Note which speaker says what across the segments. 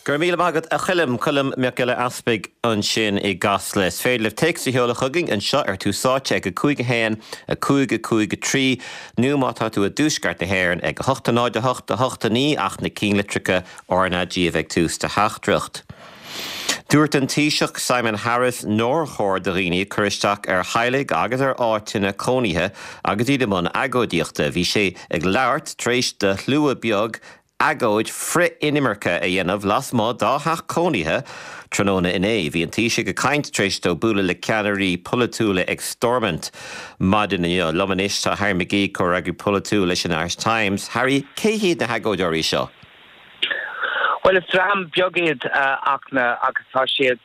Speaker 1: Go raibh míle maith agat, a Choilm. Colm Mac Giolla Easpaig ansin i gCasla. Is féidir libh téacs a sheoladh chugainn anseo ar Tús Áite ag 5 1 5 5 3 nó má tá tú i dtuaisceart na hÉireann ag 8 0 8 8 9 ach na cinnlitreacha RnaG a bheith ag tús do theachtaireacht. Dúirt an Taoiseach Simon Harris nár chóir do dhaoine cur isteach ar theaghlaigh agus ar áiteanna cónaithe agus iad i mbun agóidíochta. Bhí sé ag labhairt tar éis do shlua beag agóid frith-inimirce a dhéanamh lasmuigh dá theach cónaithe tráthnóna inné. Bhí an Taoiseach ag caint tar éis dó bualadh le ceannairí polaitiúla ag Stormont maidin inniu. Liom anois tá Harry McGee, comhfhreagraí polaitiúil leis an Irish Times. Harry, cé hiad na hagóideoirí seo?
Speaker 2: Bhuel, is dream beag iad Fhachtna agus tá siad,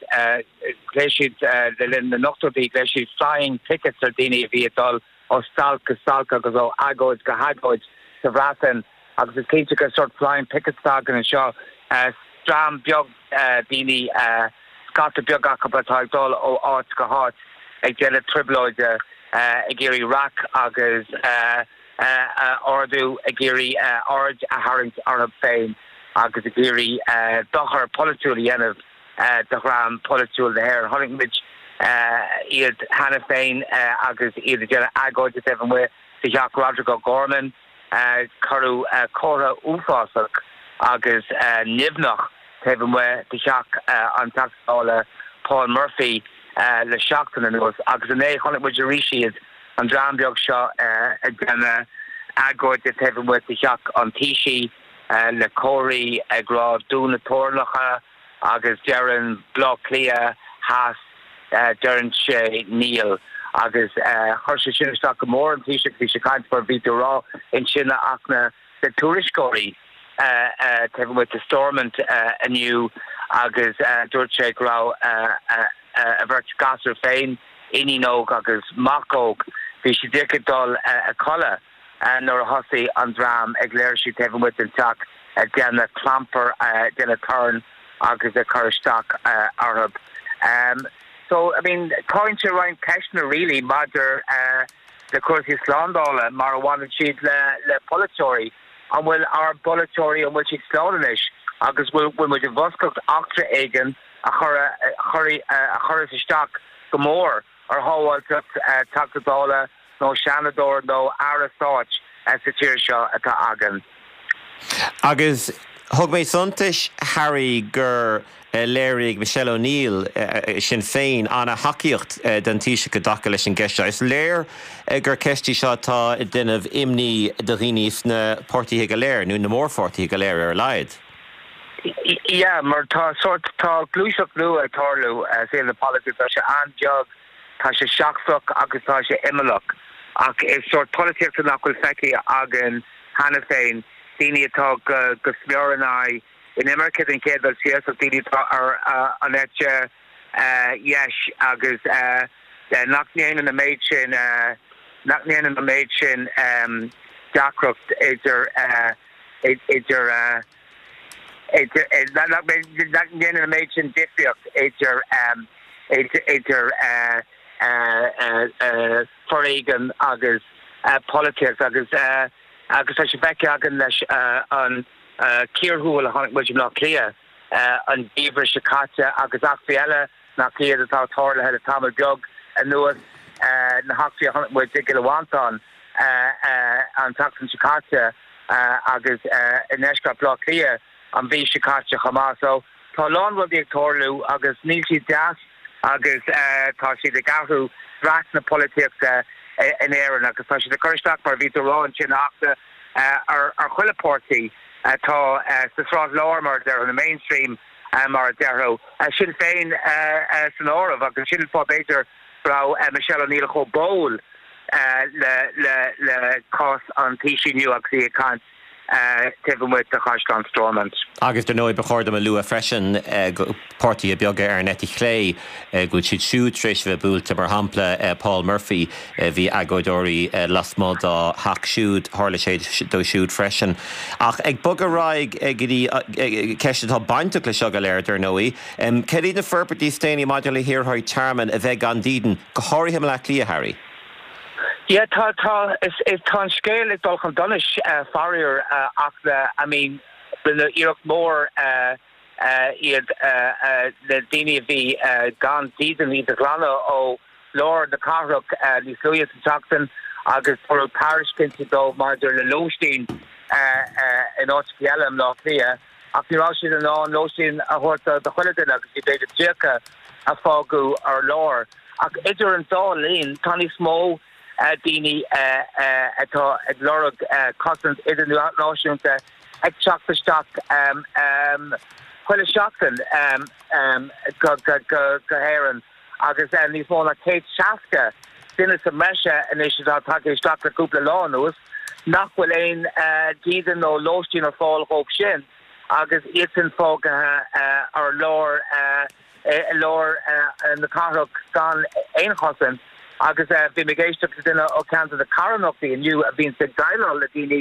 Speaker 2: ghlaoigh siad le linn na n-ochtóidí, ghlaoigh siad flying pickets ar daoine a bhí ag dul ó stailc go stailc agus ó agóid go hagóid sa Bhreatain agus is cinnte gur sórt flying pickets atá againn anseo, dream beag daoine, scata beag acu atá ag dul ó áit go háit ag déanamh trioblóide, ag iarraidh raic agus a ardú, ag iarraidh aird a tharraingt orthu féin agus ag iarraidh dochar polaitiúil a dhéanamh do dhream polaitiúil na hÉireann. Chonaic muid iad cheana féin agus iad ag déanamh agóide taobh amuigh de theach Roderic O'Gorman. Cuireadh comhartha uafásach agus nimhneach taobh amuigh de theach an Teachta Dála Paul Murphy le seachtain anuas agus inné chonaic muid arís iad, an dream beag seo ag déanamh agóide taobh amuigh de theach an Taoisigh le comharthaí ag rá 'Dún na Teorainneacha'. Agus deireann Bleá Cliath Theas, deireann sé níl. Agus chuir sé sin isteach go mór ar an Taoiseach, bhí sé ag caint mar bhí tú a rá ansin a Fhachtna le tuairisceoirí taobh amuigh de Stormont inniu agus dúirt sé go raibh a bheirt gasúr féin, iníon óg agus mac óg, bhí siad díreach ag dul a codladh. nuair a thosaigh an dream ag léirsiú taobh amuigh den teach ag déanamh clampar, ag déanamh torann agus ag cur isteach orthu. So, I mean, cothaíonn sé roinnt ceisteanna really maidir le cúrsaí slándála mar a bhaineann siad le le polaiteoirí. An bhfuil ár bpolaiteoirí, an bhfuil siad slán anois agus bhfuil bhfuil muid i bhfoscadh eachtra éigin a chur a chuirfeas isteach go mór ar shábháilteacht Teachta Dála nó Seanadóir nó Aire Stáit sa tír seo atá againn.
Speaker 1: Agus thug mé suntais, Harry, gur léirigh Michelle O'Neill, Sinn Féin, an-thacaíocht don Taoiseach i dtaca leis an gceist seo. Is léir gur ceist í seo atá ag déanamh imní do dhaoine sna páirtithe go léir, nó na mórpháirtithe go léir ar a laghad.
Speaker 2: Yeah, mar tá sórt, tá gluaiseacht nua ag tarlú i saol na polaitíochta, tá sé an-bheag, Tá sé seachtrach agus tá sé imeallach, ach is sórt polaitíochta nach bhfuil feicthe againn cheana féin, daoine atá go smior in aghaidh inimirce den chéad dul síos, ach daoine atá ar an eite dheis agus nach ndéanann an méid sin, nach ndéanann an méid sin deacracht idir, idir. nach ndéanann an méid sin difríocht idir idir foréigean agus polaitíocht agus agus tá sé feicthe againn leis an ciarshiúl a chonaic muid i mBleá Cliath an geimhreadh seo caite agus eachtraí eile nach iad atá tarlaithe le tamall beag anuas, na heachtraí a chonaic muid i gCill Mhantáin an tseachtain seo caite agus i ndeisceart Bhaile Átha Cliath an mhí seo caite chomh maith. So tá a lán rudaí ag tarlú agus níl siad deas agus tá siad ag athrú dreas na polaitíochta in Éirinn agus tá siad ag cur isteach, mar a bhí tú a rá ansin, ar chuile pháirtí atá sa sráid láir, mar a déarfá, na mainstream. mar a déarfá, Sinn Féin san áireamh, agus sin an fáth b'fhéidir go raibh Michelle O'Neill chomh báúil le cás an Taoisigh inniu agus í ag caint taobh amuigh de Chaisleán Stormont.
Speaker 1: Agus dar ndóigh ba chóir dom a lua freisin páirtithe beaga ar an eite chlé, go bhfuil siad siúd tar éis a bheith buailte, mar shampla Paul Murphy, bhí agóideoirí lasmuigh dá theach siúd, tharla sé dó siúd freisin. Ach ag bogadh ar aghaidh go dtí ceist atá bainteach le seo go léir, dar ndóigh, cad iad na forbairtí is déanaí maidir le hiarrthóirí tearmainn a bheith gan dídean, go háirithe i mBleá Cliath, Harry?
Speaker 2: Yeah, tá, tá, is, is, tá an scéal ag dul chun donais, faraor, ach, I mean, rinneadh iarracht mhór. Iad na daoine a bhí gan dídean, iad a ghlanadh ó lár na cathrach níos luaithe sa tseachtain agus tabhairt tairiscintí dóibh maidir le lóistín in áiteacha eile i mBleá Cliath ach ní raibh siad in ann lóistín a thabhairt do chuile duine agus bhí b'fhéidir 30 a fágadh ar lár. Ach idir an dá linn tá níos mó daoine atá ag lorg cosaint idirnáisiúnta ag teacht isteach chuile sheachtain go hÉirinn agus níos mó ná 160 duine sa mbreis anois atá tagtha isteach le cúpla lá anuas nach bhfuil aon dídean nó lóistín ar fáil dhóibh sin agus iad sin fágtha ar lár. i lár na cathrach gan aon chosaint agus bhí mé ag éisteacht le duine ó cheann de na carthanachtaí inniu a bhíonns ag déileáil le daoine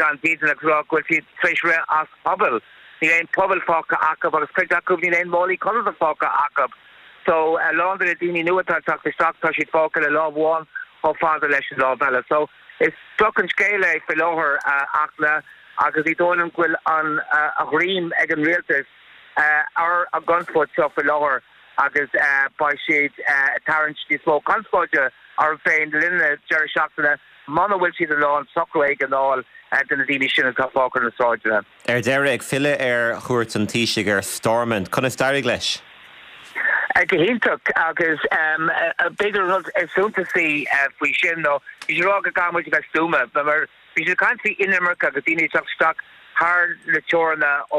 Speaker 2: gan dídean agus rá go bhfuil siad tar éis rith as pubaill. Níl aon phuball fágtha acu agus cuid acu níl aon málaí codlata fágtha acu. So a lán de na daoine nua atá ag teacht isteach tá siad fágtha le lámh amháin chomh fada leis an lámh eile. So is droch an scéal é faoi láthair a Fhachtna agus ní dóigh liom go bhfuil an a ghreim ag an rialtas ar an gconspóid seo faoi láthair agus beidh siad ag tarraingt níos mó conspóide orthu féin le linn na deireadh seachtaine muna bhfuil siad in ann socrú éigin a fháil do na daoine sin atá fágtha ar na sráideanna.
Speaker 1: Ar deireadh, ag filleadh ar chuairt an Taoisigh ar Stormont, conas d'éirigh leis?
Speaker 2: Go hiontach agus b'fhéidir an rud is suntasaí faoi sin ná bhí sé ag rá go gcaithfidh muid a bheith stuama mar Bhí siad ag caint faoi inimirce agus daoine ag teacht isteach thar na teoranna ó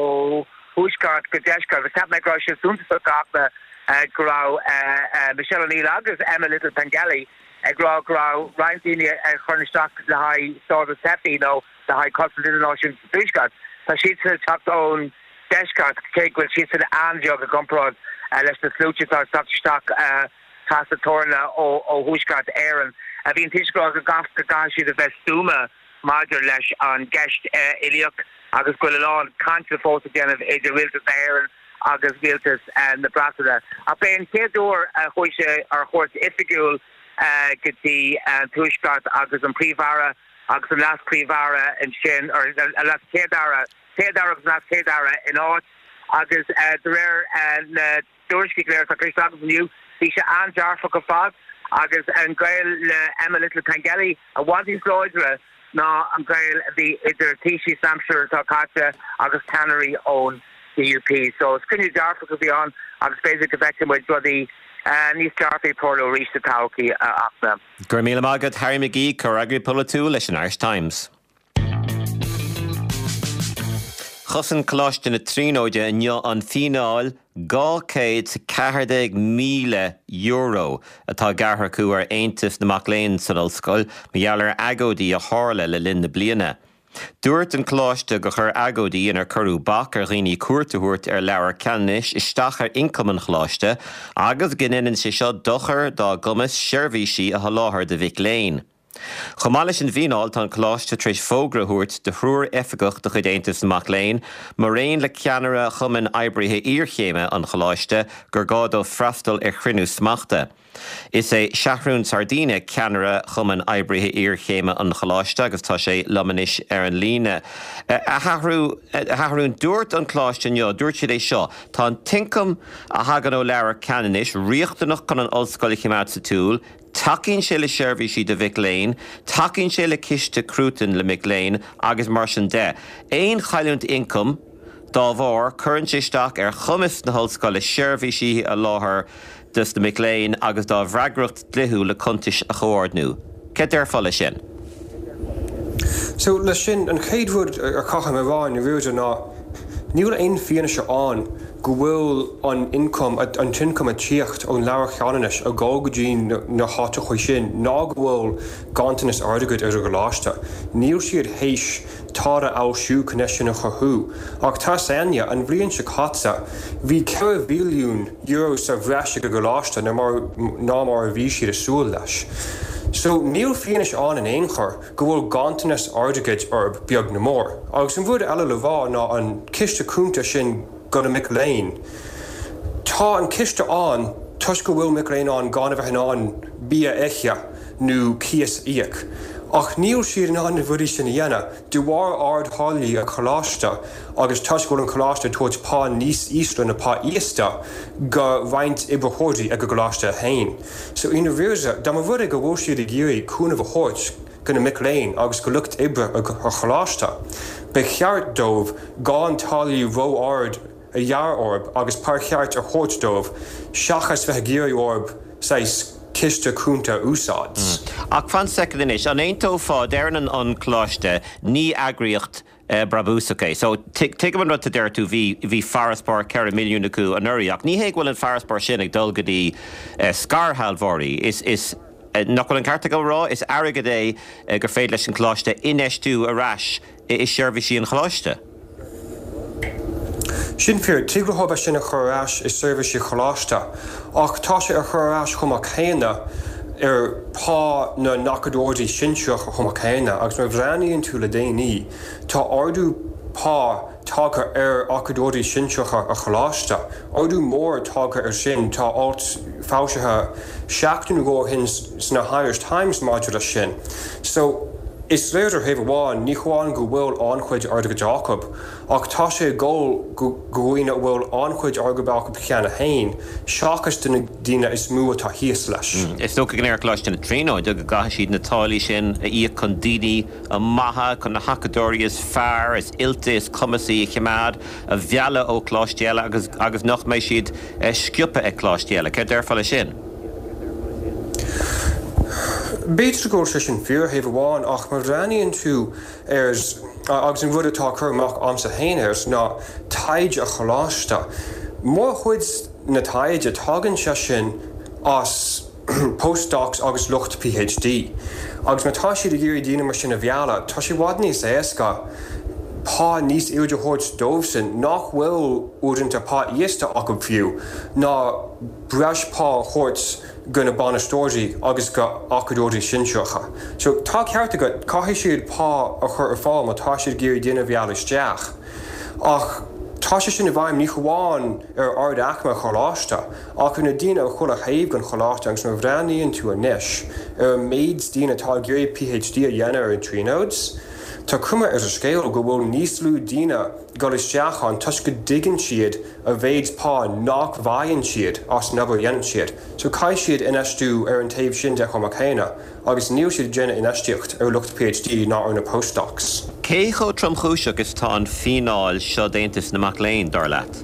Speaker 2: thuaisceart go deisceart agus cheap mé go raibh sé suntasach a Fhachtna go raibh Michelle O'Neill agus Emma Little Pengelly ag rá go raibh roinnt daoine a chuireann isteach le haghaidh stádas teifigh nó le haghaidh cosaint idirnáisiúnta sa tuaisceart, tá siadsan ag teacht ón deisceart cé go bhfuil siadsan an-bheag i gcomparáid leis na sluaite atá ag teacht isteach. trasna teoranna ó Thuaisceart Éireann. Bhí an Taoiseach ag rá go gcaithfidh siad a bheith stuama maidir leis an gceist uilíoch agus go bhfuil a lán cainte fós le déanamh idir Rialtas na hÉireann agus Rialtas na Breataine. Ach b'é an chéad uair a chuaigh sé ar chuairt oifigiúil go dtí an Tuaisceart agus an Príomh-Aire agus an Leas-Phríomh-Aire ansin, or an Leas-Chéad-Aire, Céad-Aire agus an Leas-Chéad-Aire in áit agus de réir na dtuairiscí go léir atá cloiste agam inniu, bhí sé an-dearfach ar fad agus an gaol le Emma Little Pengelly i bhfad níos láidre ná an gaol a bhí idir taoisigh san aimsir atá caite agus ceannairí ón DUP. So is cruinniú dearfach a bhí ann agus b'fhéidir go bhfeicfidh muid rudaí níos dearfaí ag tarlú arís sa todhchaí, a Fhachtna.
Speaker 1: Go raibh míle maith agat, Harry McGee, Comhfhreagraí Polaitiúil leis an Irish Times. Chosain Coláiste na Tríonóide inniu an fíneáil €214,000 atá gearrtha acu ar Aontas na Mac Léinn san ollscoil mar gheall ar agóidí a tharla le linn na bliana. Dúirt an coláiste gur chuir agóidí inar cuireadh bac ar dhaoine cuairt a thabhairt ar Leabhar Ceanannais isteach ar ioncam an choláiste agus go ndéanann sé seo dochar dá gcumas seirbhísí a sholáthar do mhic léinn. Chomh maith leis an bhfíneáil, tá an Coláiste tar éis fógra a thabhairt do thriúr oifigeach de chuid Aontas na Mac Léinn, maraon le ceannaire Chumann Oibrithe Iarchéime an Choláiste, gur gá dóibh freastal ar chruinniú smachta. Is é Seathrún Sardina ceannaire Chumann Oibrithe Iarchéime an Choláiste agus tá sé liom anois ar an líne. A Sheathrúin, dúirt an Coláiste inniu, dúirt siad é seo, tá an t-ioncam a thagann ó Leabhar Ceanannais riachtanach chun an ollscoil a choimeád sa tsiúl, Tacaíonn sé le seirbhísí do mhic léinn, tacaíonn sé le ciste cruatain le mic léinn agus mar sin de. Aon chailliúint ioncaim dá bharr, cuireann sé isteach ar chumas na hollscoile seirbhísí a sholáthar dos na mic léinn agus dá bhfreagracht dlíthiúil le cuntais a chomhordnú. Céard déarfá leis sin?
Speaker 3: So, leis sin, an chéad rud a chaithfidh mé a rá i ndáiríre ná níl aon fianaise ann go bhfuil an ioncam, an t-ioncam ag tíocht ón Leabhar Cheanannais ag dul go dtí na háiteacha sin ná go bhfuil ganntanas airgid ar an gcoláiste. Níl siad théis tada a fhoilsiú chun é sin a chruthú. Ach tá 's againne, an bhliain seo caite, bhí €4 mhilliún sa bhreis ag an gcoláiste ná mar a bhí siad ag súil leis. So, níl fianaise ann in aon chor go bhfuil ganntanas airgid orthu, beag nó mór. Agus an rud eile le rá ná an ciste cúnta sin do na mic léinn. Tá an ciste ann toisc go bhfuil mic léinn ann gan a bheith in ann bia a ithe nó cíos a íoc. Ach níl siad in ann na rudaí sin a dhéanamh de bharr ard-tháillí an choláiste agus toisc go bhfuil an coláiste ag tabhairt pá níos ísle na pá íosta go roinnt oibritheoirí ag an gcoláiste féin. So i ndáiríre, dá mba rud é go bhfuil siad ag iarraidh cúnamh a thabhairt go na mic léinn agus go lucht oibre an choláiste, ba cheart dóibh gan táillí ró-ard a ghearradh orthu agus pá ceart a thabhairt dóibh seachas bheith ag iarraidh orthu saghas ciste cúnta a úsáid.
Speaker 1: Ach fan soicind anois, an aontófá, deireann an coláiste, ní eagraíocht brabúsach é. So, tuigim an rud a deir tú, bhí, bhí farasbarr 4 milliún acu anuraidh, ach ní hé go bhfuil an farasbarr sin ag dul go dtí scairshealbhóirí. Is, is, nach bhfuil an ceart agam a rá, is airgead é gur féidir leis an gcoláiste infheistiú ar ais i seirbhísí an choláiste.
Speaker 3: Sin fíor, tig leo é sin a chur ar ais i seirbhísí choláiste, ach tá sé á chur ar ais chomh maith céanna ar phá na n-acadóirí sinsearacha chomh maith céanna, agus má bhreathnaíonn tú le déanaí, tá ardú pá tagtha ar acadóirí sinsearacha an choláiste. Ardú mór tagtha air sin, tá alt foilsithe seachtain nó dhó ó shin sna Irish Times maidir leis sin. So, is léir ar thaobh amháin, ní hamháin go bhfuil an-chuid airgid acu, ach tá sé ag dul go dhaoine a bhfuil an-chuid airgid acu cheana féin, seachas do na daoine is mó atá thíos leis.
Speaker 1: Is dócha go ndeir Coláiste na Tríonóide go gcaithfidh siad na táillí sin a íoc chun daoine maithe, chun na hacadóirí is fearr, is oilte, is cumasaí a choimeád, a mhealladh ó choláistí eile agus agus nach mbeidh siad sciobtha ag coláistí eile. Céard déarfá leis sin?
Speaker 3: B'fhéidir go bhfuil sé sin fíor ar thaobh amháin ach má bhreathnaíonn tú ar, agus an rud atá á cur amach a'msa féin air ná taighde an choláiste. Mórchuid na taighde, tagann sé sin as postdocs agus lucht PhD. Agus má tá siad ag iarraidh daoine mar sin a mhealladh, tá sé i bhfad níos éasca pá níos airde a thabhairt dóibhsean, nach bhfuil uaireanta pá íosta acu fiú, ná breis pá a thabhairt go na bainisteoirí agus go acadóirí sinsearacha. So tá ceart agat, caithfidh siad pá a chur ar fáil má tá siad ag iarraidh duine a mhealladh isteach. Ach tá sé sin i bhfeidhm ní hamháin ar ard-aicme an choláiste, ach ar na daoine ar chuile thaobh den choláiste agus má bhreathnaíonn tú anois ar an méid daoine atá ag iarraidh PhD a dhéanamh ar an Tríonóid, tá cuma ar an scéal go bhfuil níos lú daoine ag dul isteach ann toisc go dtuigeann siad an mhéid pá nach bhfaigheann siad as an obair a dhéanann siad. So caithfidh siad infheistiú ar an taobh sin de chomh maith céanna. Agus níl siad ag déanamh infheistíocht ar lucht PhD ná ar na postdocs.
Speaker 1: Cé chomh tromchúiseach is atá an fíneáil seo d'Aontas na Mac Léinn, dar leat?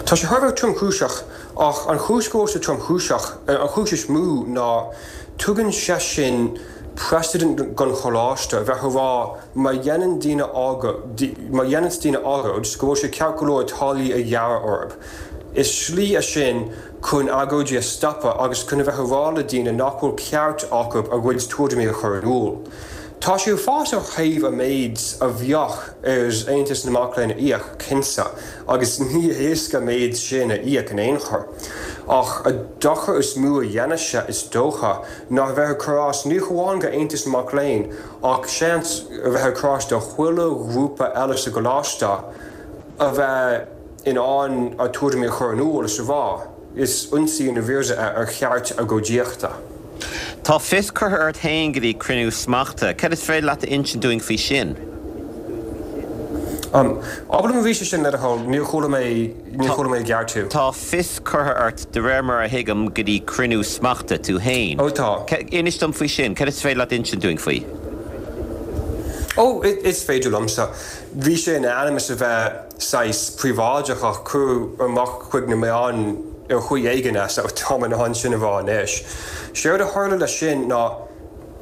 Speaker 3: Tá sé thar a bheith tromchúiseach, ach an chúis go bhfuil sé tromchúiseach, an chúis is mó ná tugann sé sin precedent don choláiste a bheith a rá má dhéanann daoine agóid, má dhéananns daoine agóid go bhfuil sé ceart go leor táillí a ghearradh orthu. Is slí é sin chun agóidí a stopadh agus chun a bheith a rá le daoine nach bhfuil ceart acu a gcuid tuairimí a chur in iúl. Tá sé uafásach ó thaobh an méid a bheadh ar Aontas na Mac Léinn a íoc, cinnte, agus ní héasca an méid sin a íoc in aon chor. Ach an dochar is mó a dhéanfas sé, is dócha, ná a bheith ag cur as ní hamháin go Aontas na Mac Léinn ach seans a bheith ag cur as do chuile ghrúpa eile sa gcoláiste a bheith in ann a tuairimí a chur in iúl is a rá, is ionsaí i ndáiríre é ar cheart agóidíochta.
Speaker 1: Tá fios curtha ort féin go dtí cruinniú smachta. Cad is féidir leat a insint dúinn faoi sin?
Speaker 3: Abair liom arís é sin, le do thoil, níor chuala mé, níor chuala mé i gceart thú.
Speaker 1: Tá fios curtha ort, de réir mar a thuigim, go dtí cruinniú smachta, tú féin.
Speaker 3: Ó tá.
Speaker 1: Inis dom faoi sin, cad is féidir leat a insint dúinn faoi?
Speaker 3: Ó, is féidir liomsa. Bhí sé in ainm is a bheith. saghas príobháideach ach cuireadh amach chuig na meáin ar chaoi éigin é so táim in ann sin a rá anois. Séard a tharla leis sin ná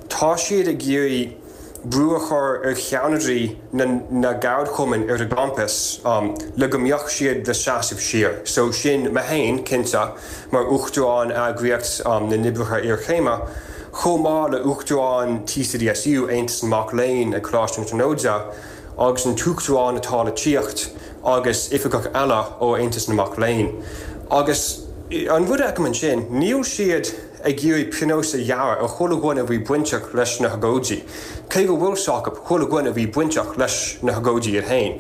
Speaker 3: tá siad ag iarraidh brú a chur ar cheannairí na na gceardchumann ar an gcampas le go mbeadh siad le seasamh siar. So sin mé féin, cinnte, mar Uachtarán Eagraíocht na nOibrithe Iarchéime, chomh maith le Uachtarán TCDSU, Aontas na Mac Léinn ag Coláiste na Tríonóide, agus an tUachtarán atá le tíocht agus oifigeach eile ó Aontas na Mac Léinn. Agus an rud a fheicim ansin, níl siad ag iarraidh pionós a ghearradh ar chuile dhuine a bhí bainteach leis na hagóidí, cé go bhfuil 's acu chuile dhuine a bhí bainteach leis na hagóidí iad féin.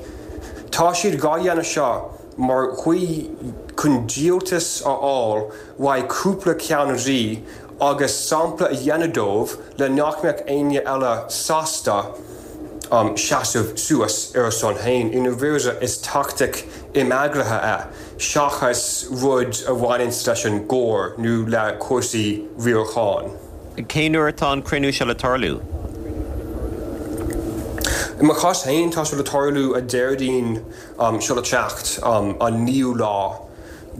Speaker 3: Tá siad dhá dhéanamh seo mar chaoi chun díoltas a fháil uaidh cúpla ceannairí. agus sampla a dhéanamh dóibh le nach mbeadh éinne eile sásta seasamh suas ar a son féin. I ndáiríre is tactic imeaglaithe é seachas rud a bhaineanns leis an gcóir nó le cúrsaí riaracháin.
Speaker 1: Cén uair atá an cruinniú seo le tarlú?
Speaker 3: I mo chás féin tá sé le tarlú an Déardaoin seo le teacht, an 9ú lá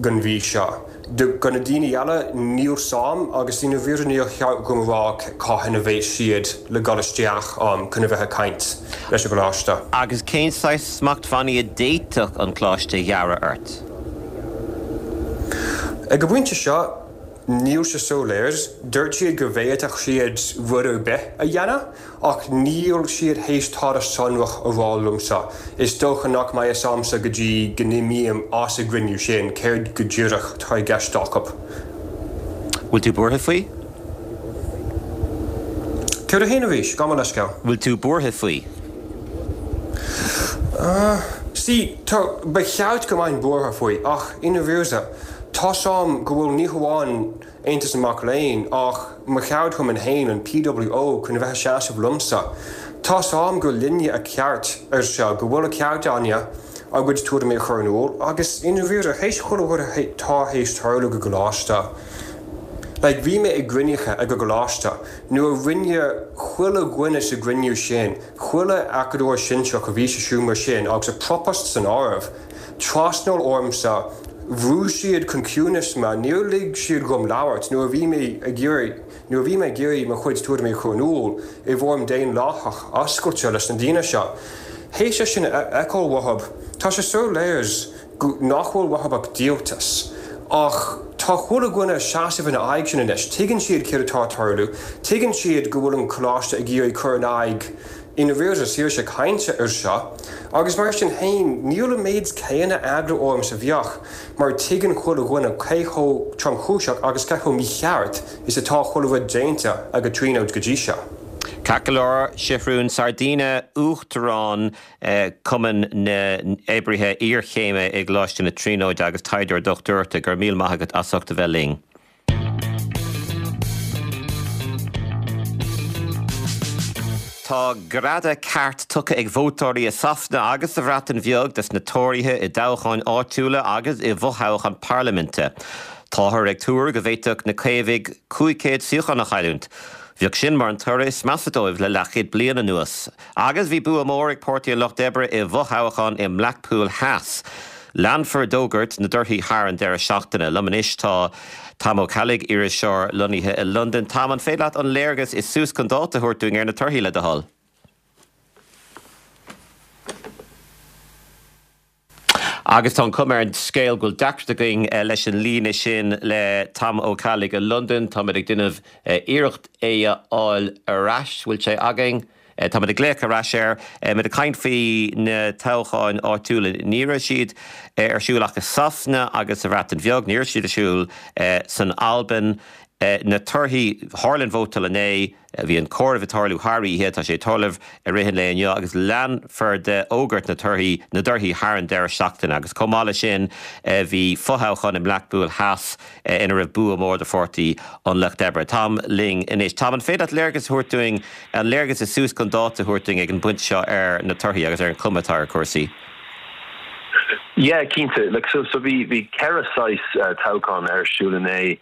Speaker 3: den mhí seo. Do na daoine eile, níl 's a'm, agus i ndáiríre níor cheart dom a rá cathain a bheas siad le dhul isteach chun a bheith ag caint leis an gcoláiste.
Speaker 1: Agus cén saghas smachtbhannaí a d'fhéadfadh an coláiste a ghearradh ort?
Speaker 3: Ag an bpointe seo, níl sé soiléir. Dúirt siad go bhféadfadh siad rud ar bith a dhéanamh. Ach níl siad théis tada sonrach a rá liomsa. Is dócha nach mbeidh fhios a'msa go dtí go n-imím as an gcruinniú sin céard go díreach atá i gceist acu.
Speaker 1: Bhfuil tú buartha faoi?
Speaker 3: Céard a haon arís? Gabh mo leithscéal.
Speaker 1: Bhfuil tú buartha faoi?
Speaker 3: See, tá, ba cheart go mbeinn buartha faoi, ach i ndáiríre, tá's a'm go bhfuil ní hamháin Aontas na Mac Léinn, ach mo cheardchumann féin, an PWO, chun a bheith ag seasamh liomsa. Tá's a'm gur linne a ceart ar seo, go bhfuil a ceart againne ár gcuid tuairimí a chur in iúl, agus i ndáiríre, théis chuile rud atá théis tarlú ag an gcoláiste, like, bhí mé i gcruinnithe ag an gcoláiste, nuair a rinne chuile dhuine sa gcruinniú sin, chuile acadóir sinsearach a bhí sa seomra sin, agus an Propast san áireamh, Trasnáil ormsa, bhrú siad chun ciúnais mé, níor lig siad dhom labhairt nuair a bhí mé ag iarraidh, nuair a bhí mé ag iarraidh mo chuid tuairimí a chur in iúl i bhfoirm daonlathach oscailte leis na daoine seo. Théis é sin a fheiceáil uathub, tá sé soiléir go, nach bhfuil uathub ach díoltas. Ach tá chuile dhuine ag seasamh ina aghaidh sin anois. Tuigeann siad céard atá ag tarlú. Tuigeann siad go bhfuil an coláiste ag iarraidh cur in aghaidh I ndáiríre saoirse cainte ar seo, agus mar sin féin, níl an méid céanna eagla orm is a bheadh, mar tuigeann chuile dhuine cé chomh tromchúiseach agus cé chomh mícheart is atá chuile rud déanta ag an Tríonóid go dtí seo.
Speaker 1: Ceart go leor, Seathrún Sardina, Uachtarán Chumann na nOibrithe Iarchéime i gColáiste na Tríonóide agus taighdeoir dochtúireachta, go raibh míle maith agat as ucht a bheith linn. Tá greadadh ceart tugtha ag vótóirí i Sasana agus sa Bhreatain Bheag dos na Tóraithe i dtoghcháin áitiúla agus i bhfothoghchán parlaiminte. Táthar ag tuar go bhféadfadh na Caomhaigh 500 suíochán a chailliúint. Bheadh sin mar an toradh is measa dóibh le leathchéad bliain anuas. Agus bhí bua mór ag Páirtí an Lucht Oibre i bhfothoghchán i mBlackpool Theas. Leanfar d'fhógairt na dtorthaí thar an deireadh seachtaine. Liom anois tá Tom Ó Ceallaigh, iriseoir lonnaithe i Londain. Tom, an féidir leat an léargas is suas chun dáta a thabhairt dúinn ar na torthaí, le do thoil? Agus tá an chuma ar an scéal go bhfuil deacracht againn leis an líne sin le Tom Ó Ceallaigh i Londain. Táimid ag déanamh iarracht é a fháil ar ais. Bhfuil sé againn? Táimid ag glaoch ar ais air. Muid ag caint faoi na toghcháin áitiúla. Ní raibh siad ar siúl ach i Sasana agus sa Bhreatain Bheag. Ní raibh siad ar siúl san Albain. Na torthaí, tharla an vótáil inné. Bhí an comhaireamh ag tarlú thar oíche. Tá sé ag tarlú i rith an lae inniu agus leanfar de fhógairt na torthaí, na dtorthaí thar an deireadh seachtaine. Agus chomh maith leis sin bhí fothoghchán i mBlackpool Theas ina raibh bua mór do Pháirtí an Lucht Oibre. Tom linn anois. Tom, an féidir leat léargas a thabhairt dúinn, an léargas is suas chun dáta a thabhairt dúinn ag an bpointe seo ar na torthaí agus ar an chuma atá ar chúrsaí?
Speaker 4: Yeah, cinnte. Like, so, so bhí, bhí ceithre saghas toghchán ar siúl inné,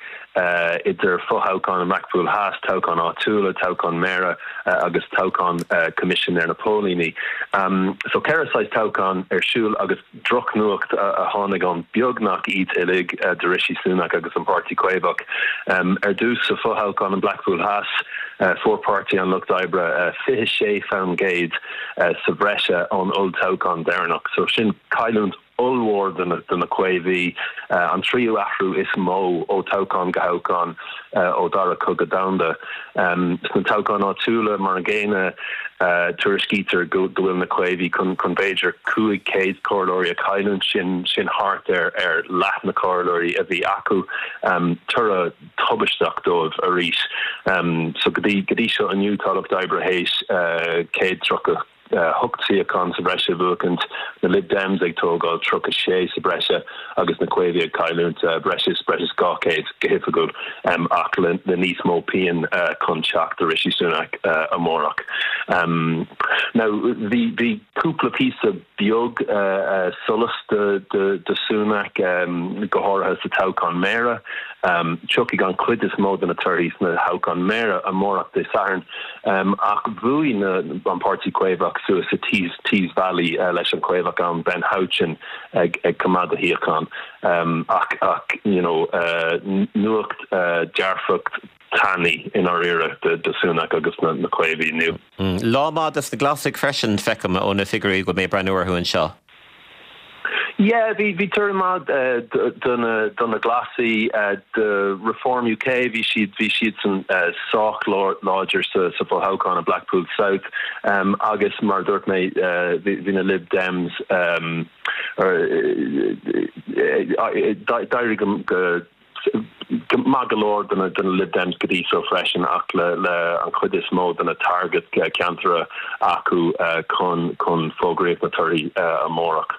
Speaker 4: idir fothoghchán i mBlackpool Theas, toghchán áitiúla, toghchán méara agus toghchán Coimisinéir na Póilíní. So ceithre saghas toghchán ar siúl agus Drochnuacht a tháinig ann beagnach iad uilig do Rishi Sunak agus an Páirtí Caomhach. Ar dtús, sa fothoghchán in Blackpool Theas, fuair Páirtí an Lucht Oibre 26% sa bhreise ón olltoghchán deireanach, so sin cailliúint ollmhór do na Caomhaigh, an tríú athrú is mó ó toghchán go thoghchán ó Dara Cogadh Domhanda. Sna toghcháin áitiúla, mar an gcéanna, tuairiscítear go bhfuil na Caomhaigh chun b'fhéidir 500 comhairleoirí a chailliúint, sin sin thart ar ar leath na comhairleoirí a bhí acu. Toradh tubaisteach dóibh arís. So go dtí go dtí seo inniu tá Lucht Oibre théis 130. 8 suíochán sa bhreis a bhuachaint, na Lib Dems ag tógáil 36 sa breise agus na Caomhaigh ag cailliúint breis is breis is 200 go hoifigiúil ach le níos mó pian chun teacht do Rishi Sunak amárach. Now bhí bhí cúpla píosa beag solais do Sunak, go háirithe sa toghchán méara. Tiocfaidh an chuid is mó de na torthaí sna thoghcháin méara amárach Dé Sathairn, ach bhuaigh an Páirtí Caomhach suas sa Tees Valley leis an Chaomhach ann, Ben Houchen, ag coimeád a shuíochán. Ach you know nuacht dearfach tanaí i ndáiríre do Sunak agus na Caomhaigh inniu.
Speaker 1: Lá maith dos na Glasaigh freisin, feicim ó na figiúirí go bhfuil mé ag breathnú orthu anseo.
Speaker 4: Yeah, bhí bhí toradh maith do na do na Glasaigh, do Reform UK, bhí siad bhí siadsan sách láidir sa sa fhothoghchán i Blackpool South agus mar a dúirt mé bhí bhí na Lib Dems d'éirigh go Maith go leor do na Lib Dems go dtí so freisin ach le an chuid is mó de na target ceantair acu chun chun fógraíocht na torthaí amárach.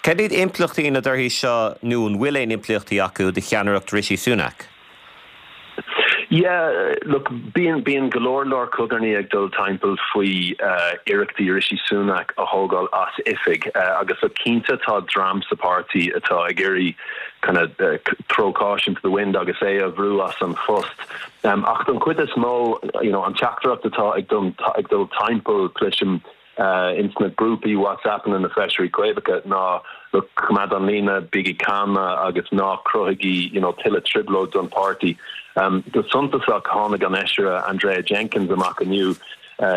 Speaker 1: Cad iad impleachtaí na dtorthaí seo nó an bhfuil aon impleachtaí acu do cheannaireacht Rishi Sunak?
Speaker 4: Yeah, look, bíonn bíonn go leor leor cogarnaí ag dul timpeall faoi iarrachtaí Rishi Sunak a thógáil as oifig agus look, cinnte tá dream sa páirtí atá ag iarraidh kind of throw caution to the wind agus é a bhrú as an phost. Ach don chuid is mó, you know, an teachtaireacht atá ag dul ag dul timpeall, cloisim ins na grúpaí WhatsAppanna na feisirí Caomhacha ná look, coimeád an líne, bígí calma agus ná cruthaigí, you know, tuilleadh trioblóid don pháirtí. Go suntasach tháinig an fheisire Andrea Jenkyns amach inniu,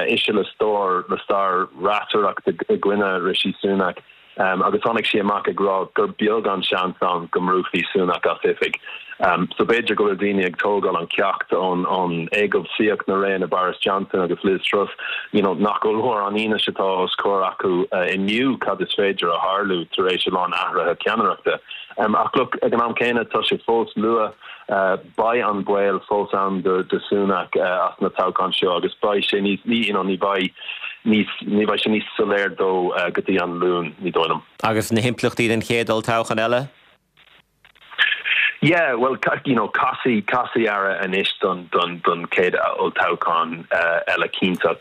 Speaker 4: ise le stór le stair reacaireachta i gcoinne Rishi Sunak. Agus tháinig sí amach ag rá gur beag an seans ann go mbrúfaí Sunak as oifig. So b'fhéidir go bhfuil daoine ag tógáil an ceacht ón éagobhsaíocht na réanna Boris Johnson agus Liz Truss, you know, nach ollmhór an fhianaise atá os comhair acu inniu cad is féidir a tharlú tar éis a lán athruithe ceannaireachta. Ach look, ag an am céanna tá sé fós luath. Beidh an baol fós ann do Sunak as na toghcháin seo agus beidh sé níos, you know, ní bheidh níos, ní bheidh sé níos soiléir dó go dtí an Luan, ní dóigh liom.
Speaker 1: Agus na himpleachtaí den chéad olltoghchán eile?
Speaker 4: Yeah, bhuel, you know, casfaidh, casfaidh aire anois don, don, don chéad olltoghchán eile cinnte.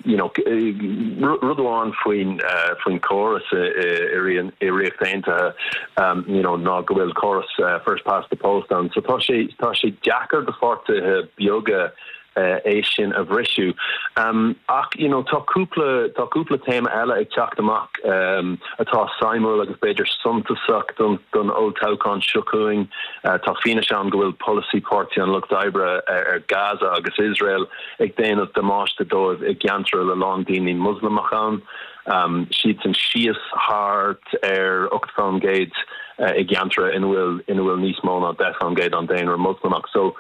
Speaker 4: You know, rud amháin faoin, faoin chóras i, i Ríocht Aontaithe, you know, ná go bhfuil córas first past the post ann. So tá sé, tá sé deacair do pháirtithe beaga é sin a bhriseadh. Ach, you know, tá cúpla, tá cúpla téama eile ag teacht amach atá suimiúil agus b'fhéidir suntasach don, don olltoghchán seo chugainn. Tá fianaise ann go bhfuil polasaí Páirtí an Lucht Oibre ar Gaza agus Iosrael ag déanamh damáiste dóibh i gceantair le lán daoine Moslamach ann. Siadsan síos thart ar 8% i gceantair ina bhfuil ina bhfuil níos mó ná 10% an daonra Moslamach. So,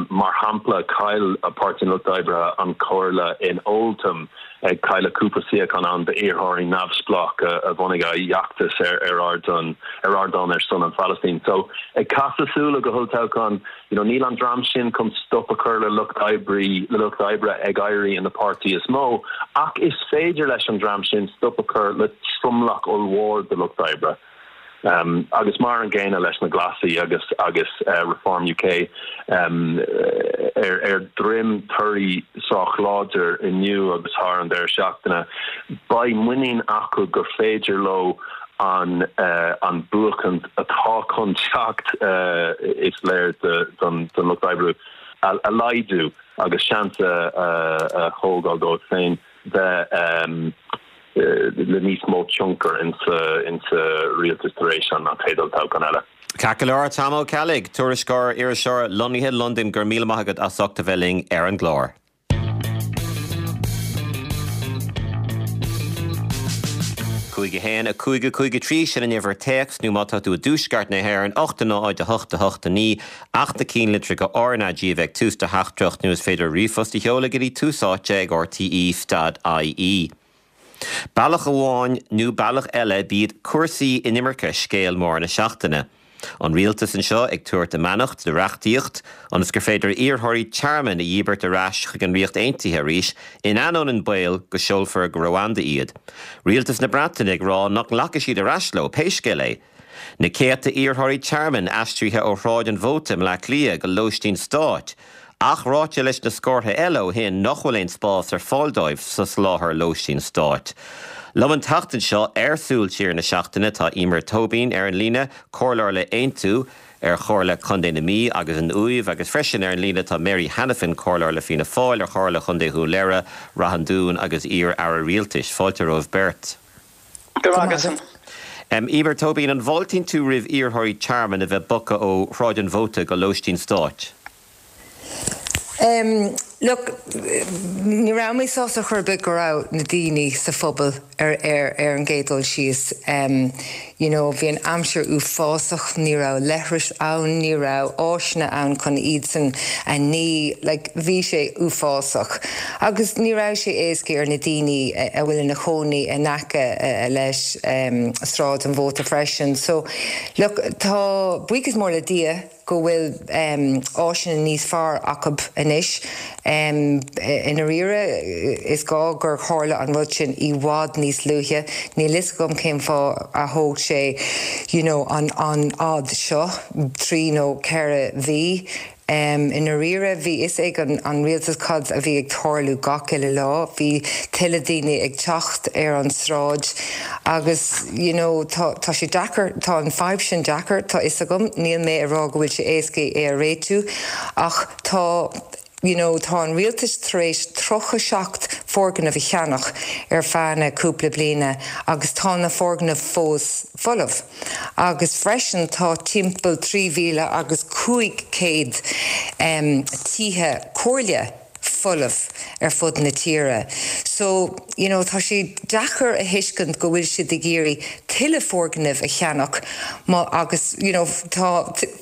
Speaker 4: mar shampla, chaill Páirtí an Lucht Oibre an chomhairle in Oldham, ag cailleadh cúpla suíochán ann d'iarrthóirí neamhspleácha a bhunaigh a bhfeachtas ar ar ardán ar ardán ar son an Phalaistín. So, ag casadh súile go holltoghchán, You know, níl an dream sin chun stop a chur le lucht oibrí, le lucht oibre ag éirí ina páirtí is mó, ach is féidir leis an dream sin stop a chur le tromlach ollmhór de lucht oibre. Um, agus mar an gcéanna leis na Glasaigh agus agus uh, Reform UK um, ar, ar dhroim torthaí sách láidir inniu agus thar an deireadh seachtaine, beidh muinín acu gur féidir leo an an buachaint atá chun teacht, is léir don Lucht Oibre, a laghdú agus seans a thógáil dóibh féin bheith le níos mó tionchar insa rialtas tar éis an chéad olltoghchán eile.
Speaker 1: Ceart go leor, Tom Ó Ceallaigh, tuairisceoir, iriseoir lonnaithe i Londain, go raibh míle maith agat as ucht a bheith linn ar an gclár. 5 1 5 5 3, sin an uimhir téacs, nó má tá tú i dtuaisceart na hÉireann, 8 0 8 8 9, ach na cinnlitreacha RnaG a bheith ag tús do theachtaireacht, nó is féidir ríomhphost a sheoladh go dtí tús áite ag rte stad ie. Bealach amháin nó bealach eile b'iad cúrsaí inimirce scéal mór na seachtaine. An rialtas anseo ag tabhairt a mbeannacht do reachtaíocht ionas gur féidir iarrthóirí tearmainn a dhíbirt ar ais chuig an Ríocht Aontaithe arís in ainneoin an baol go seolfar go Rwanda iad. Rialtas na Breataine ag rá nach nglacfaidh siad ar ais leo pé scéal é. Na céadta iarrthóirí tearmainn aistrithe ó Shráid an Mhóta i mBleá Cliath go lóistín stáit, ach ráite leis na scórtha eile ó shin nach bhfuil aon spás ar fáil dóibh sa soláthar lóistín stáit. Liom an tseachtain seo ar Súil Siar na Seachtaine tá Emer Tóibín ar an líne, Comhairleoir le Aontú ar Chomhairle Contae na Mí agus an Uaimh agus freisin ar an líne tá Mary Hanafin, Comhairleoir le Fianna Fáil ar Chomhairle Chontae Dhún Laoghaire, Rath an Dúin agus iar-Aire Rialtais. Fáilte romhaibh beirt.
Speaker 2: Go raibh maith agat.
Speaker 1: Emer Tóibín, an bhfáiltíonn tú roimh iarrthóirí tearmainn a bheith bogtha ó Shráid an Mhóta go lóistín stáit?
Speaker 5: Look, ní raibh mé sásta chor ar bith go raibh na daoine sa phobal ar ar ar an gcéad dul síos. You know, bhí an aimsir uafásach, ní raibh leithris ann, ní raibh áiseanna ann chun iadsan a ní, like, bhí sé uafásach. Agus ní raibh sé éasca ar na daoine a bhfuil ina chónaí in aice leis Sráid an Mhóta freisin. So, look, tá buíochas mór le Dia, go bhfuil áiseanna níos fearr acu anois. I ndáiríre, is gá gur tharla an rud sin i bhfad níos luaithe. Níl fhios agam cén fáth a thóg sé you know an an fhad seo, 3 nó 4 mhí. I ndáiríre, bhí fhios ag an rialtas cad a bhí ag tarlú gach uile lá. Bhí tuilleadh daoine ag teacht ar an sráid agus you know tá tá sé deacair, tá an fadhb sin deacair, tá fhios agam, níl mé ag rá go bhfuil sé éasca é a réitiú ach tá you know tá an rialtas tar éis 37 foirgneamh a cheannach ar feadh na cúpla bliana agus tá na foirgnimh fós folamh agus freisin tá timpeall 3,000 agus 500 tithe comhairle folamh ar fud na tíre. So, you know, tá sé deacair a thuiscint go bhfuil siad ag iarraidh tuilleadh foirgnimh a cheannach má agus, you know, tá,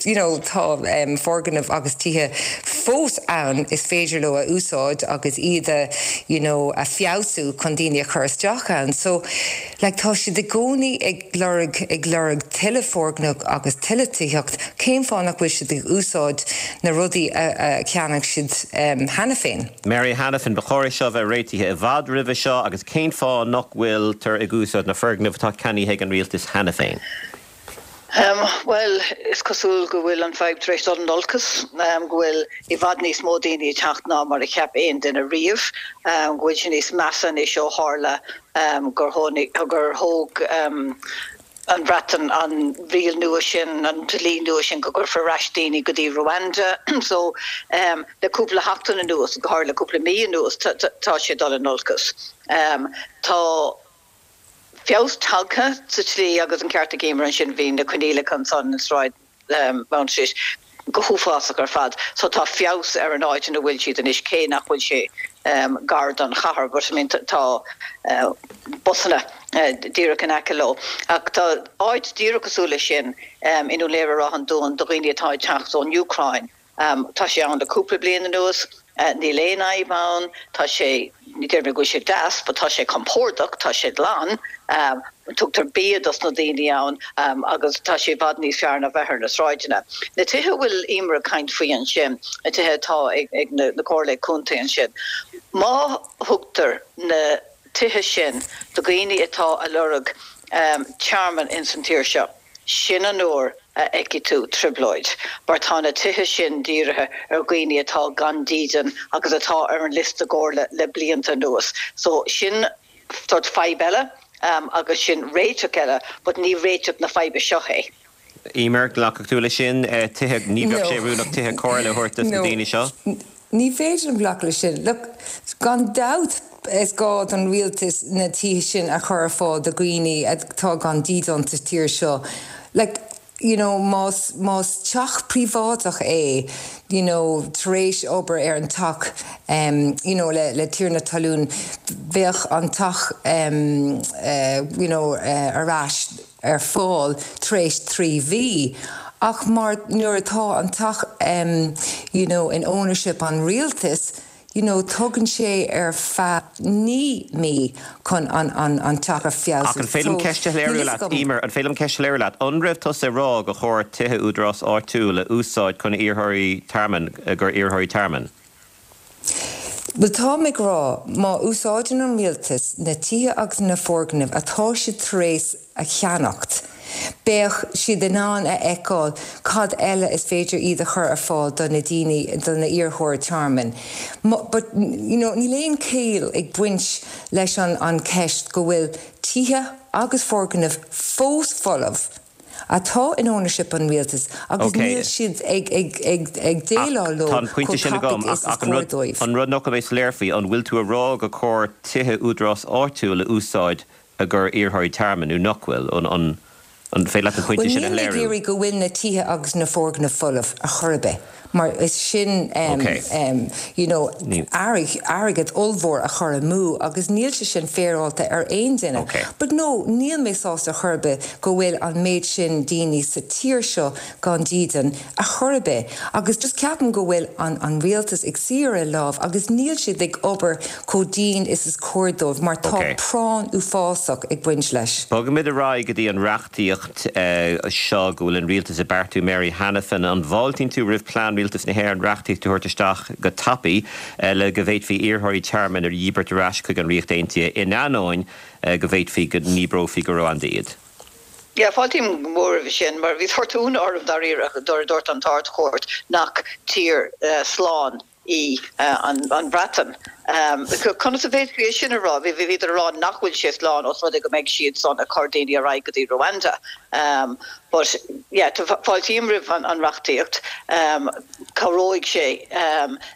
Speaker 5: you know, tá foirgnimh agus tithe fós ann is féidir leo a úsáid agus iad a, you know, a feabhsú chun daoine a chur isteach ann. So, like, tá siad i gcónaí ag lorg, ag lorg tuilleadh foirgneamh agus tuilleadh tithíocht, cén fáth nach bhfuil siad ag úsáid na rudaí a cheannaigh siad cheana féin?
Speaker 1: Mary Hanafin, Ba chóir é seo a bheith réitithe i bhfad roimhe seo agus cén fáth nach bhfuiltear ag úsáid na foirgnimh atá ceannaithe ag an rialtas cheana féin?
Speaker 6: Bhuel, is cosúil go bhfuil an fadhb tar éis dul in olcas, go bhfuil i bhfad níos mó daoine ag teacht ná mar a cheap aon duine riamh, go bhfuil sé níos measa anois ó tharla gur gur thóg an Bhreatain an riail nua sin, an dlí nua sin go gcuirfear ar ais daoine go dtí Rwanda. So, le cúpla seachtain anuas, go háirithe le cúpla mí anuas, tá sé ag dul in olcas. Tá. feabhas tagtha sa tslí agus an ceart ag Emer ansin, bhí na coinníollacha ansan i Sráid Mount Street go huafásach ar fad so tá feabhas ar an áit ina bhfuil siad anois cé nach bhfuil sé gar don chathair but I mean tá busanna díreach in aice leo. Ach tá áit díreach cosúil leis sin i nDún Laoghaire Ráth an Dúin do dhaoine atá ag teacht ón Úcráin. Tá sé ann le cúpla bliain anuas. Níl aon fhadhb ann. Tá sé, ní déarfaidh mé go bhfuil sé deas, but tá sé compordach, tá sé glan. Tugtar bia dos na daoine ann agus tá sé i bhfad níos fearr ná bheith ar na sráideanna. Na tithe a bhfuil Emer ag caint faoi ansin, na tithe atá ag na comhairlí contae ansin, má thugtar na tithe sin do dhaoine atá a lorg tearmann ins an tír seo, Sin an uair a fheicfidh tú trioblóid, mar tá na tithe sin dírithe ar dhaoine atá gan dídean agus atá ar an liosta gcomhairle le blianta anuas. So, sin sort fadhb eile agus sin réiteach eile, but ní réiteach na faidhbe seo é.
Speaker 1: Emer, glacfadh tú leis sin? Tithe, ní bheadh sé oiriúnach tithe comhairle a thabhairt dos na daoine seo?
Speaker 5: Ní féidir liom glacadh leis sin. Look, gan dabht is gá don rialtas na tithe sin a chur ar fáil do dhaoine atá gan dídean sa tír seo. Like, you know, más, más teach príobháideach é, you know, tar éis obair ar an teach, em, you know, le, le tiarna talún, bheadh an teach, em, eh, you know, eh, ar ais ar fáil tar éis 3 mhí ach mar nuair atá an teach you know in ownership an rialtais. You know, tógann sé ar feadh 9 mí chun an an an teach a
Speaker 1: feabhsú. Ach an féidir liom ceist a shoiléiriú leat, Emer, an féidir liom ceist a shoiléiriú leat? An raibh tusa ag rá gur chóir tithe údarás áitiúil a úsáid chun iarrthóirí tearmainn, gur iarrthóirí tearmainn?
Speaker 5: Bhuel, táim ag rá, má úsáideann an rialtas na tithe agus na foirgnimh atá siad tar éis a cheannacht, beidh siad in ann a fheiceáil cad eile is féidir iad a chur ar fáil do na daoine, do na iarrthóirí tearmainn. But, you know, níl aon chiall ag baint leis an an ceist go bhfuil tithe agus foirgnimh fós folamh atá in ownership an rialtais agus níl siad ag ag ag ag déileáil leo
Speaker 1: Tá an pointe
Speaker 5: chomh
Speaker 1: sin agam,
Speaker 5: tapaidh is
Speaker 1: ach
Speaker 5: is
Speaker 1: ach an
Speaker 5: cóir
Speaker 1: rud
Speaker 5: dóibh.
Speaker 1: an rud nach bhfuil mé soiléir faoi, an bhfuil tú a rá gur cóir tithe údarás áitiúil a úsáid i gcomhair iarrthóirí tearmainn nó nach bhfuil? An an féidir leat an pointe
Speaker 5: Bhuel,
Speaker 1: sin a
Speaker 5: níl mé ag
Speaker 1: shoiléiriú?
Speaker 5: iarraidh go bhfuil na tithe agus na foirgnimh folamh ar chor ar bith, mar is sin
Speaker 1: Ok.
Speaker 5: you know,
Speaker 1: Ní.
Speaker 5: airgead ollmhór a chur amú agus níl sé sin féaráilte ar aon duine.
Speaker 1: Ok.
Speaker 5: But no, níl mé sásta ar chor ar bith go bhfuil an méid sin daoine sa tír seo gan dídean ar chor ar bith agus just ceapaim go bhfuil an an rialtas ag suí ar a lámh agus níl siad ag obair chomh dian is is cóir dóibh mar tá
Speaker 1: Ok.
Speaker 5: práinn uafásach ag baint leis.
Speaker 1: Bogaimid ar aghaidh go dtí an reachtaíocht seo go bhfuil an rialtas ag beartú. Mary Hanafin, an bhfáiltíonn tú roimh plean Rialtas na hÉireann reachtaíocht a thabhairt isteach go tapaidh le go bhféadfaí iarrthóirí tearmainn a dhíbirt ar ais chuig an Ríocht Aontaithe in ainneoin go bhféadfaí go ndíbreofaí go Ruanda iad?
Speaker 6: Yeah, fáiltím go mór roimhe sin, mar bhí sórt ionadh orm dáiríre nuair a dúirt an tArd-Chúirt nach tír slán í an Bhreatain. Conas a bhféadfaí é sin a rá? Bhíodar a rá nach bhfuil sé slán os rud é go mbeidh siad san ag cur daoine ar aghaidh go dtí Rwanda. But yeah, fáiltím roimh an reachtaíocht. Cabhróidh sé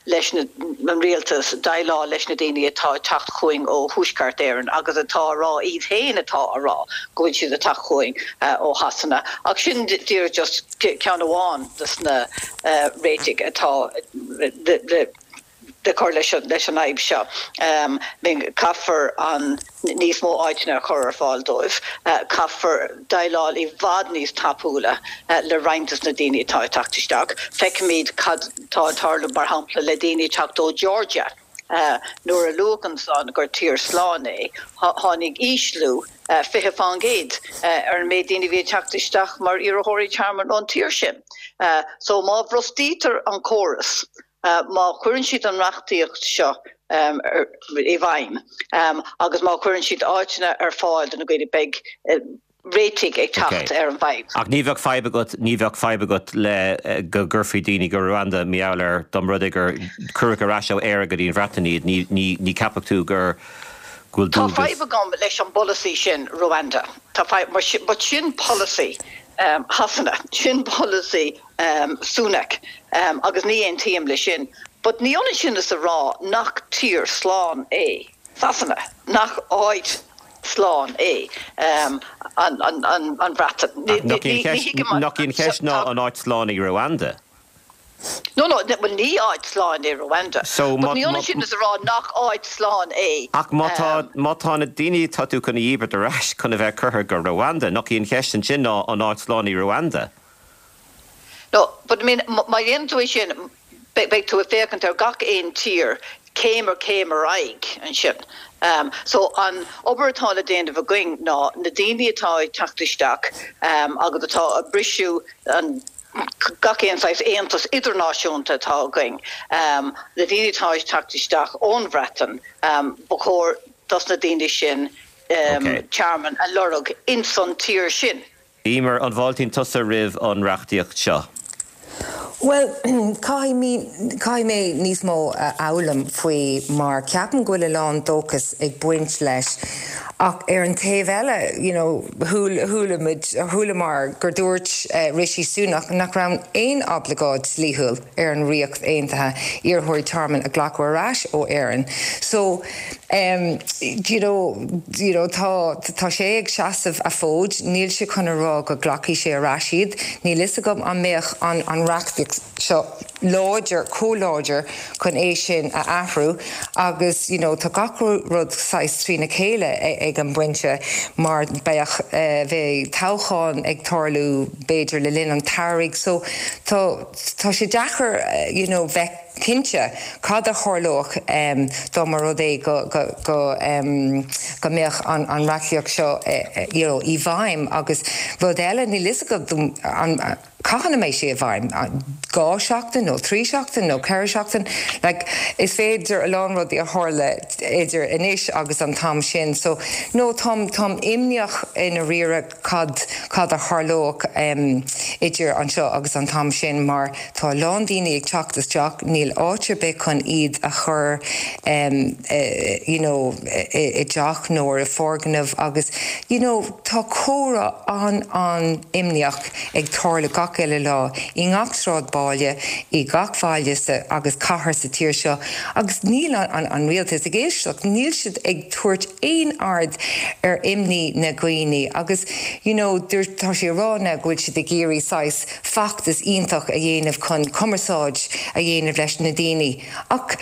Speaker 6: leis an rialtas déileáil leis na daoine atá ag teacht chugainn ó Thuaisceart Éireann agus atá a rá, iad féin atá a rá go bhfuil siad ag teacht chugainn ó Shasana. Ach sin díreach just ceann amháin des na réitigh atá le le cur leis an fhadhb seo. Caithfear an níos mó áiteanna a chur ar fáil dóibh. Caithfear déileáil i bhfad níos tapúla le roinnt des na daoine atá ag teacht isteach. Feicimid cad tá ag tarlú, mar shampla, le daoine ag teacht ó Georgia. Nuair a luadh ansan gur tír slán é, tháinig ísliú 20% ar an méid daoine a bhí ag teacht isteach mar iarrthóirí tearmainn ón tír sin. So má bhrostaítear an córas, Má chuireann siad an reachtaíocht seo i bhfeidhm agus má chuireann siad áiteanna ar fáil do na daoine, beidh réitigh ag teacht ar an bhfadhb.
Speaker 1: Ach ní bheadh fadhb agat, ní bheadh fadhb agat le go gcuirfí daoine go Rwanda mar gheall ar dá mba rud é gur cuireadh ar ais ó Éire go dtí an Bhreatain iad, ní, ní, ní cheapfadh tú gur, go bhfuil
Speaker 6: Tá
Speaker 1: dualgas.
Speaker 6: fadhb agam leis an bpolasaí sin, Rwanda. Tá fadhb, mar sin, but sin polasaí Shasana, sin polasaí Sunak agus ní aontaím leis sin. But ní ionann sin is a rá nach tír slán é Sasana, nach áit slán é an Bhreatain.
Speaker 1: Ach nach í an cheist, nach í an cheist ná an áit slán í Rwanda?
Speaker 6: No, no, bhuel ní áit slán é Rwanda.
Speaker 1: So,
Speaker 6: But ní ionann sin is a rá nach áit slán é.
Speaker 1: Ach má tá, má tá na daoine atá tú chun a dhíbirt ar ais chun a bheith curtha go Rwanda, nach í an cheist ansin ná an áit slán í Rwanda?
Speaker 6: No, but I mean, má dhéanann tú é sin, beidh tú ag féachaint ar gach aon tír céim ar chéim ar aghaidh ansin. So an obair atá le déanamh againn ná na daoine atá ag teacht isteach agus atá ag briseadh an gach aon saghas aontas idirnáisiúnta atá againn, na daoine atá ag teacht isteach ón Bhreatain, ba chóir dos na daoine sin tearmann a lorg ins an tír sin.
Speaker 1: Emer, an bhfáiltíonn tusa roimh an reachtaíocht seo?
Speaker 5: Bhuel, caithfidh mé, caithfidh mé níos mó a fhoghlaim faoi mar ceapaim go bhfuil a lán dóchas ag baint leis ach ar an taobh eile, you know, chuala muid, chualamar gur dúirt Rishi Sunak nach raibh aon oibleagáid dlíthiúil ar an Ríocht Aontaithe iarrthóirí tearmainn a ghlacadh ar ais ó Éirinn. So, you know, you know, tá, tá sé ag seasamh a fhóid, níl sé chun a rá go nglacfaidh sé ar ais iad. Níl fhios agam an mbeadh an, an reachtaíocht seo láidir, chomh láidir chun é sin a athrú agus, you know, tá gach rud saghas trína chéile ag. ag an bpointe mar beadh, bheadh toghchán ag tarlú b'fhéidir le linn an tsamhraidh so tá, tá sé deacair you know bheith cinnte cad a tharlódh dá mba rud é go, go, go, go mbeadh an, an reachtaíocht seo you know i bhfeidhm agus rud eile níl fhios agam an, Cathain a mbeidh sé i bhfeidhm? 2 seachtain nó 3 seachtain nó 4 seachtain? Like, is féidir a lán rudaí a tharla idir anois agus an t-am sin. So, no, táim, táim imníoch i ndáiríre cad, cad a tharlódh em idir anseo agus an t-am sin mar tá a lán daoine ag teacht isteach, níl áit ar bith chun iad a chur em you know i, i dteach nó i foirgneamh agus you know tá comhrá an, an-imníoch ag tarlú gach uile lá i ngach sráidbhaile, i gach baile sa agus cathair sa tír seo agus níl an an rialtas ag éisteacht, níl siad ag tabhairt aon aird ar imní na dhaoine agus you know tá sé ag rá now go bhfuil siad ag iarraidh saghas feachtas iontach a dhéanamh chun cumarsáid a dhéanamh leis na daoine ach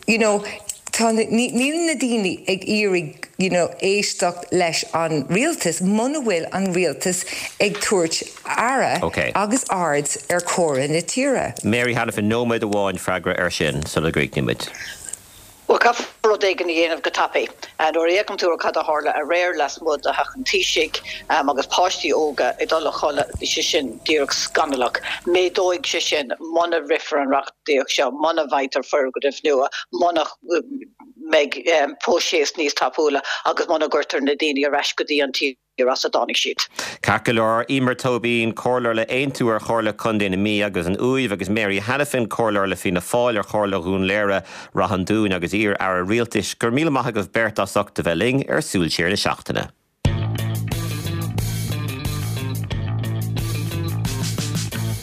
Speaker 5: you know tá níl na daoine ag iarraidh you know éisteacht leis an rialtas muna bhfuil an rialtas ag tabhairt aire
Speaker 1: Ok.
Speaker 5: agus aird ar chomhrá na tíre.
Speaker 1: Mary Hanafin, nóiméad amháin freagra air sin sula gcríochnaímid.
Speaker 6: Bhuel, caithfear rud éigin a dhéanamh go tapaidh. Nuair a fhéachann tú ar cad a tharla aréir lasmuigh de Theach an Taoisigh agus páistí óga ag dul a chodladh, bhí sé sin díreach scannalach. Méadóidh sé sin muna rithfear an reachtaíocht seo, muna bhfaightear foirgnimh nua, muna mbeidh próiseas níos tapúla agus muna gcuirtear na daoine ar ais go dtí an tír as a dtáinig siad.
Speaker 1: Ceart go leor, Eimear Tóibín, Comhairleoir le Aontú ar Chomhairle Contae na Mí agus an Uaimh agus Mary Hanafin, Comhairleoir le Fianna Fáil ar Chomhairle Dhún Laoghaire, Rath an Dúin agus iar-Aire Rialtais, go raibh míle maith agaibh beirt as ucht a bheith linn ar Súil Siar na Seachtaine.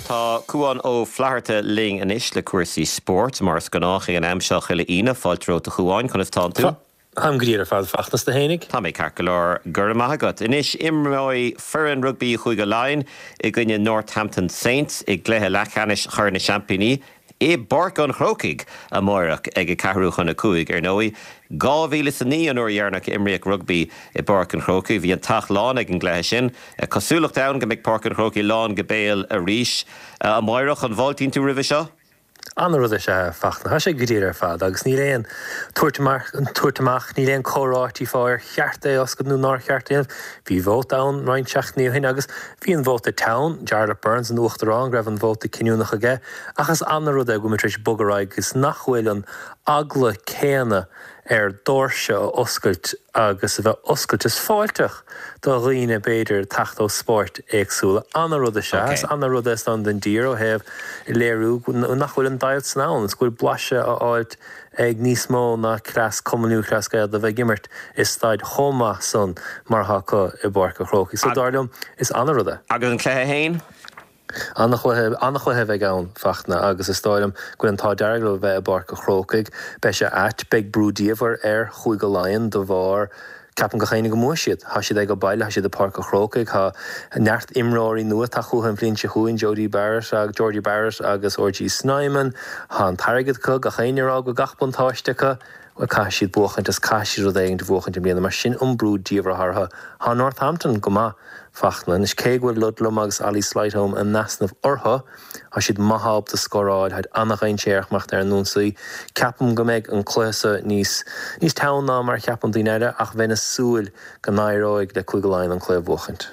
Speaker 1: Tá Cúán Ó Flatharta linn anois le cúrsaí spóirt, mar is gnách ag an am seo chuile Aoine. Fáilte romhat a Chúáin, conas tánn tú?
Speaker 7: Táim go diail ar fad, Fachtna, 's tú fhéinig?
Speaker 1: Tá mé ceart go leor, go raibh maith agat. Anois, imreoidh foireann rugbaí Chúige Laighean i gcoinne Northampton Saints i gcluiche leathcheannais Chorn na Seaimpíní i bPáirc an Chrócaigh amáireach ag a ceathrú chun a 5. Ar ndóigh, 2009 an uair dheireanach a imríodh rugbaí i bPáirc an Chrócaigh. Bhí an teach lán ag an gcluiche sin. Cosúlacht ann go mbeidh Páirc an Chrócaigh lán go béal arís amáireach. An bhfáiltíonn tú roimhe seo?
Speaker 7: Ana-rud is ea é, Fachtna. Tá sé go diail ar fad agus níl aon tabhairt amach, tabhairt amach, níl aon comhráití fá ar cheart é a oscailt nó nár cheart é a dhéanamh. Bhí vóta ann roinnt seachtainí ó shin agus bhí an vóta teann, Jarlath Burns, an Uachtarán, go raibh an vóta cinniúnach aige ach is ana-rud é go bhfuil muid tar éis bogadh ar aghaidh agus nach bhfuil an eagla céanna ar doirse a oscailt agus a bheith oscailte is fáilteach do dhaoine b'fhéidir teacht ó spóirt éagsúla. Ana-rud is ea. Is ana-rud é is dóigh don dtír ó thaobh léiriú nach bhfuil an deighilt san ann is go bhfuil blaiseadh á fháilt ag níos mó ná cleas Cumann Lúthchleas Gael de bheith ag imirt i staid chomh maith san mar atá acu i bPáirc an Chrócaigh. So dar liom is ana-rud é.
Speaker 1: Agus an cluiche fhéin?
Speaker 7: Ana-chluiche, ana-chluiche a bheidh ann, Fachtna, agus is dóigh liom go bhfuil an t-ádh dearg leo a bheith i bPáirc an Chrócaigh. Beidh sé ait, beidh brú diamhair ar Chúige Laighean de bharr, ceapann gach éinne go mbuafaidh siad. Tá siad ag baile, tá siad i bPáirc an Chrócaigh, tá neart imreoirí nua ag teacht chucu an bhliain seo chugainn, Jodie Barrett, Jordie Barrett agus RG Snyman. Tá an t-airgead acu, gach éinne ag rá go bhfuil gach buntáiste acu. Bhuel, caithfidh siad buachaint is caithfidh siad rud éigin a bhuachaint i mbliana mar sin an brú diamhair atá orthu. Tá Northampton go maith, Fachtna. Anois, cé go bhfuil Ludlam agus Ollie Sleightholme in easnamh orthu, tá siad maith ábalta scóráil, táid an-dhainséarach mar ar an ionsaí. Ceapaim go mbeidh an cluiche so níos níos teann ná mar a cheapann daoine eile ach bheinn ag súil go n-éireoidh le Cúige Laighean an cluiche a bhuachaint.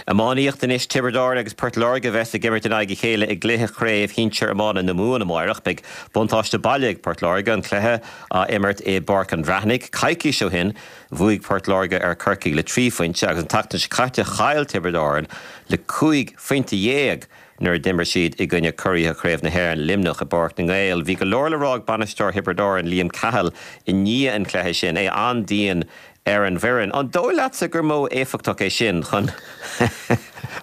Speaker 1: Iománaíocht anois, Tiobraid Árann agus Port Láirge a bheas ag imirt in aghaidh a chéile i gcluiche Chraobh Shinsir Iomána na Mumhan amáireach. Beidh buntáiste baile ag Port Láirge, an cluiche á imirt i bPáirc an Bhreathnaigh. Coicís ó shin, bhuaigh Port Láirge ar Chorcaigh le 3 phointe agus an tseachtain seo caite chaill Tiobraid Árann le 15 phointe nuair a d'imir siad i gcoinne curaithe Chraobh na hÉireann, Luimneach, i bPáirc na nGael. Bhí go leor le rá ag bainisteoir Thiobraid Árann, Liam Cahill, i ndiaidh an chluiche sin, é an-dian ar an bhfoireann. An dóigh leatsa gur modh éifeachtach é sin chun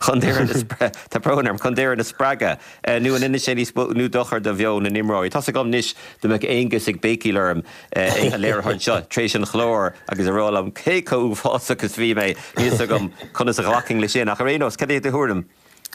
Speaker 1: chun d'fhoireann a tá brón orm, chun d'fhoireann a spreagadh nó an ndéanann sé níos mó nó dochar do mheon na n-imreoirí? Tá's agam anois dá mbeadh Aonghus ag béicíl orm ag an léiritheoir anseo tar éis an chláir agus ag rá liom cé chomh uafásach is bhí mé, níl 's agam conas a ghlacfainn leis sin ach ar aon nós, cad é do thuairim?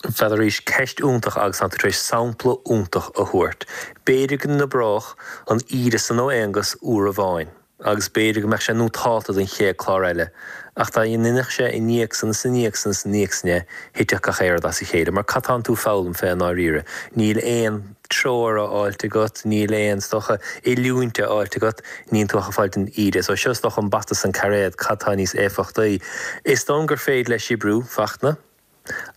Speaker 7: Bhuel arís, ceist iontach agus tá tú tar éis sampla iontach a thabhairt. B'fhéidir go n-oibreodh an íde san ó Aonghus uair amháin. agus b'fhéidir go mbeadh sé nótálta don chéad clár eile, ach dá n-inseodh sé i ndiaidh san is i ndiaidh san is i ndiaidh san é, thitfeadh gach aon rud as a chéile, mar cad tánn tú foghlaim fé i ndáiríre? Níl aon treoir á fháilt agat, níl aon, is dócha, oiliúint á fháilt agat, níonn tú ach ag fáilt an íde. So seo is dócha an bata is an cairéad, cad tá níos éifeachtaí? Is dóigh liom gur féidir leis oibriú, Fachtna.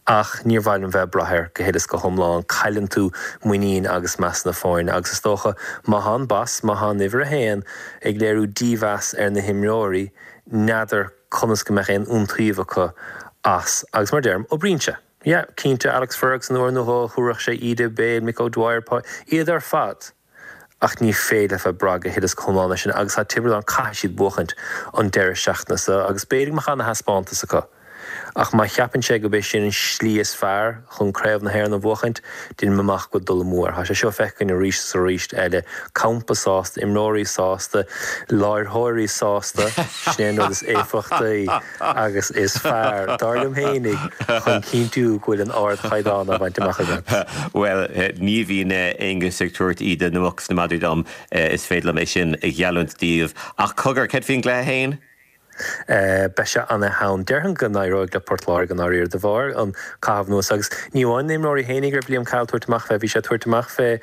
Speaker 7: Ach níor mhaith liom bheith ag brath air go huile is go hiomlán. Cailleann tú muinín agus meas na foirne agus is dócha má thá an boss, má thá an uimhir a haon ag léiriú dímheas ar na himreoirí, n'fheadar conas go mbeadh aon iontaoibh acu as. Agus mar deirim, oibríonn sé. Yeah, cinnte, Alex Ferguson uair nó dhó, thabharfadh sé íde béil, Mick O'Dwyer, iad ar fad. Ach ní féidir leat bheith ag brath go huile is go hiomlán air sin agus tá Tiobraid Árann, caithfidh siad buachaint an deireadh seachtaine seo agus b'fhéidir go mbeadh ana-thaispeántas acu. Ach má cheapann sé gurb é sin an slí is fearr chun Craobh na hÉireann a bhuachaint, déanaim amach go bhfuil dul amú air. Tá sé seo feicthe againn arís is arís eile. Campa sásta, imreoirí sásta, láithreoirí sásta, sin é an rud is éifeachtaí agus is fearr, dar liom fhéinig, chun cinntiú go bhfuil an ardchaighdeán á bhaint amach agat.
Speaker 1: Bhuel, ní bhíonn Aengus ag tabhairt íde na muc is na madraí dom, is féidir liom é sin a gheallúint daoibh. Ach cogar, céard faoin gcluiche fhéin?
Speaker 7: Beidh sé ana-theann. Déarfainn go n-éireoidh le Port Láirge i ndáiríre de bharr an caitheamh anuas agus ní amháin na himreoirí fhéinig a raibh Liam Cahill ag tabhairt amach fé, bhí sé ag tabhairt amach fé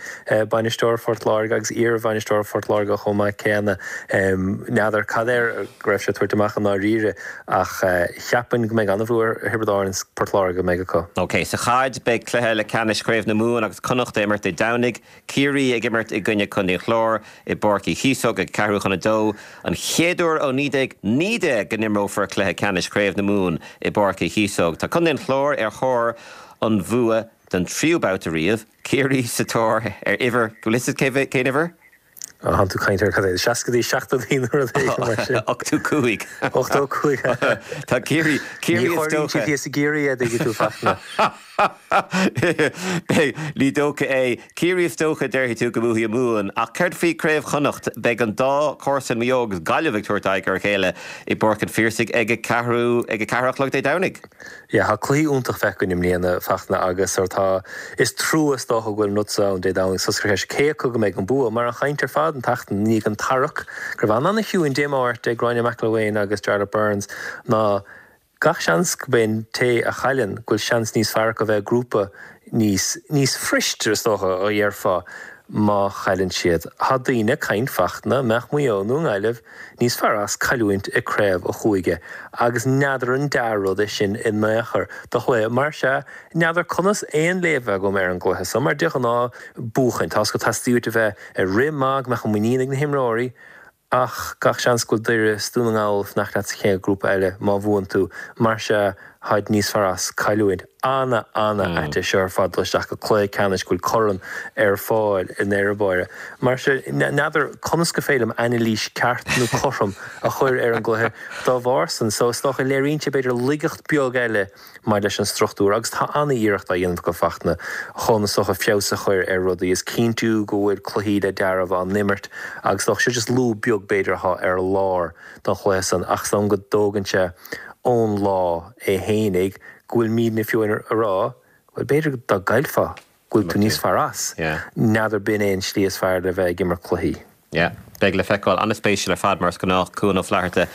Speaker 7: bainisteoir Phort Láirge agus iar-bhainisteoir Phort Láirge chomh maith céanna. N'fheadar cad air go raibh sé ag tabhairt amach i ndáiríre ach cheapfainn go mbeidh an-bhua ar Thiobraid Árann is Port Láirge go mbeidh acu.
Speaker 1: Ok, sa chaid beidh cluiche leathcheannais Chraobh na Mumhan agus Connacht ag imirt Dé Domhnaigh. Ciarraí ag imirt i gcoinne Contae an Chláir i bPáirc Uí Chíosóg ag ceathrú chun a dó. An chéad uair ó 1919 go n-imreofar cluiche ceannais Chraobh na Mumhan i bPáirc Uí Chíosóg. Tá Contae an Chláir ar thóir an bhua don tríú babhta riamh. Ciarraí sa tóir ar uimhir, go bhfuil fhios agat cén uimhir?
Speaker 7: Tánn tú ag caint ar cad é, seascaidí, seachtóidí nó rud éigin mar sin.
Speaker 1: 85.
Speaker 7: 85.
Speaker 1: Tá Ciarraí, Ciarraí
Speaker 7: is dócha. Ní chóiríonn siad thíos i gCiarraí é, dtuigeann tú, Fachtna.
Speaker 1: Beidh, ní dócha é. Ciarraí is dócha, déarfaidh tú, go mbuafaidh an Mumhain. Ach céard faoi Craobh Chonnacht? Beidh an dá chomharsan, Maigh Eo agus Gaillimh, ag tabhairt aghaidh ar a chéile i bPáirc an Phiarsaigh ag a ceathrú, ag a ceathair a chlog Dé Domhnaigh.
Speaker 7: Yeah, tá cluichí iontach feicthe againn i mbliana, Fachtna, agus sort tá, is trua is dócha go bhfuil an rud seo ann Dé Domhnaigh so is ceist cé acu go mbeidh an bua, mar an chaint ar fad an tseachtain i ndiaidh an tarrac go raibh an-ana-chiúin Dé Máirt ag Gráinne McElwain agus Jarlath Burns ná gach seans go mbeidh an té a chailleann go bhfuil seans níos fearr acu a bheith i grúpa níos, níos fuiriste is dócha a dhéarfá má chailleann siad. Tá daoine ag caint Fachtna, mbeadh Maigh Eo nó an Ghaillimh níos fearr as cailliúint i craobh a chúige agus n'fheadar an dea-rud é sin in aon chor do chluiche. Mar sea, n'fheadar conas aon léamh a bheith agam ar an gcluiche so mar de ghnáth buachaint, tá's agat teastaíonn uait a bheith ar rith maith go mbeadh an muinín ag na himreoirí Ach gach seans go bhfuil Doire 's Dún na nGall ag fanacht leat sa chéad ghrúpa eile má bhuann tú. Mar sea, tháid níos fearr as cailliúint. Ana, ana ait é seo ar fad dul isteach go cluiche ceannais go bhfuil corn ar fáil i ndeireadh báire. Mar sea, n'fheadar conas go féidir liom anailís ceart nó cothrom a chur ar an gcluiche dá bharr san. So is dócha léiríonn sé b'fhéidir laigeacht beag eile maidir leis an struchtúr agus tá an-iarracht á dhéanamh acu Fachtna chun is dócha feabhas a chur ar rudaí is cinntiú go bhfuil cluichí le dealramh á n-imirt agus is dócha seo just lúb beag b'fhéidir atá ar lár don chluiche san ach is dóigh liom go dtógann sé ón lá é fhéinig go bhfuil muidne fiú ag rá bhuel b'fhéidir dá gcaillfeá go bhfuil tú níos fearr as. N'fheadar b'in é an slí is fearr le bheith ag imirt cluichí.
Speaker 1: Yeah. Beidh le feiceáil. An-spéisiúil ar fad, mar is gnách, Cuan Ó Flatharta.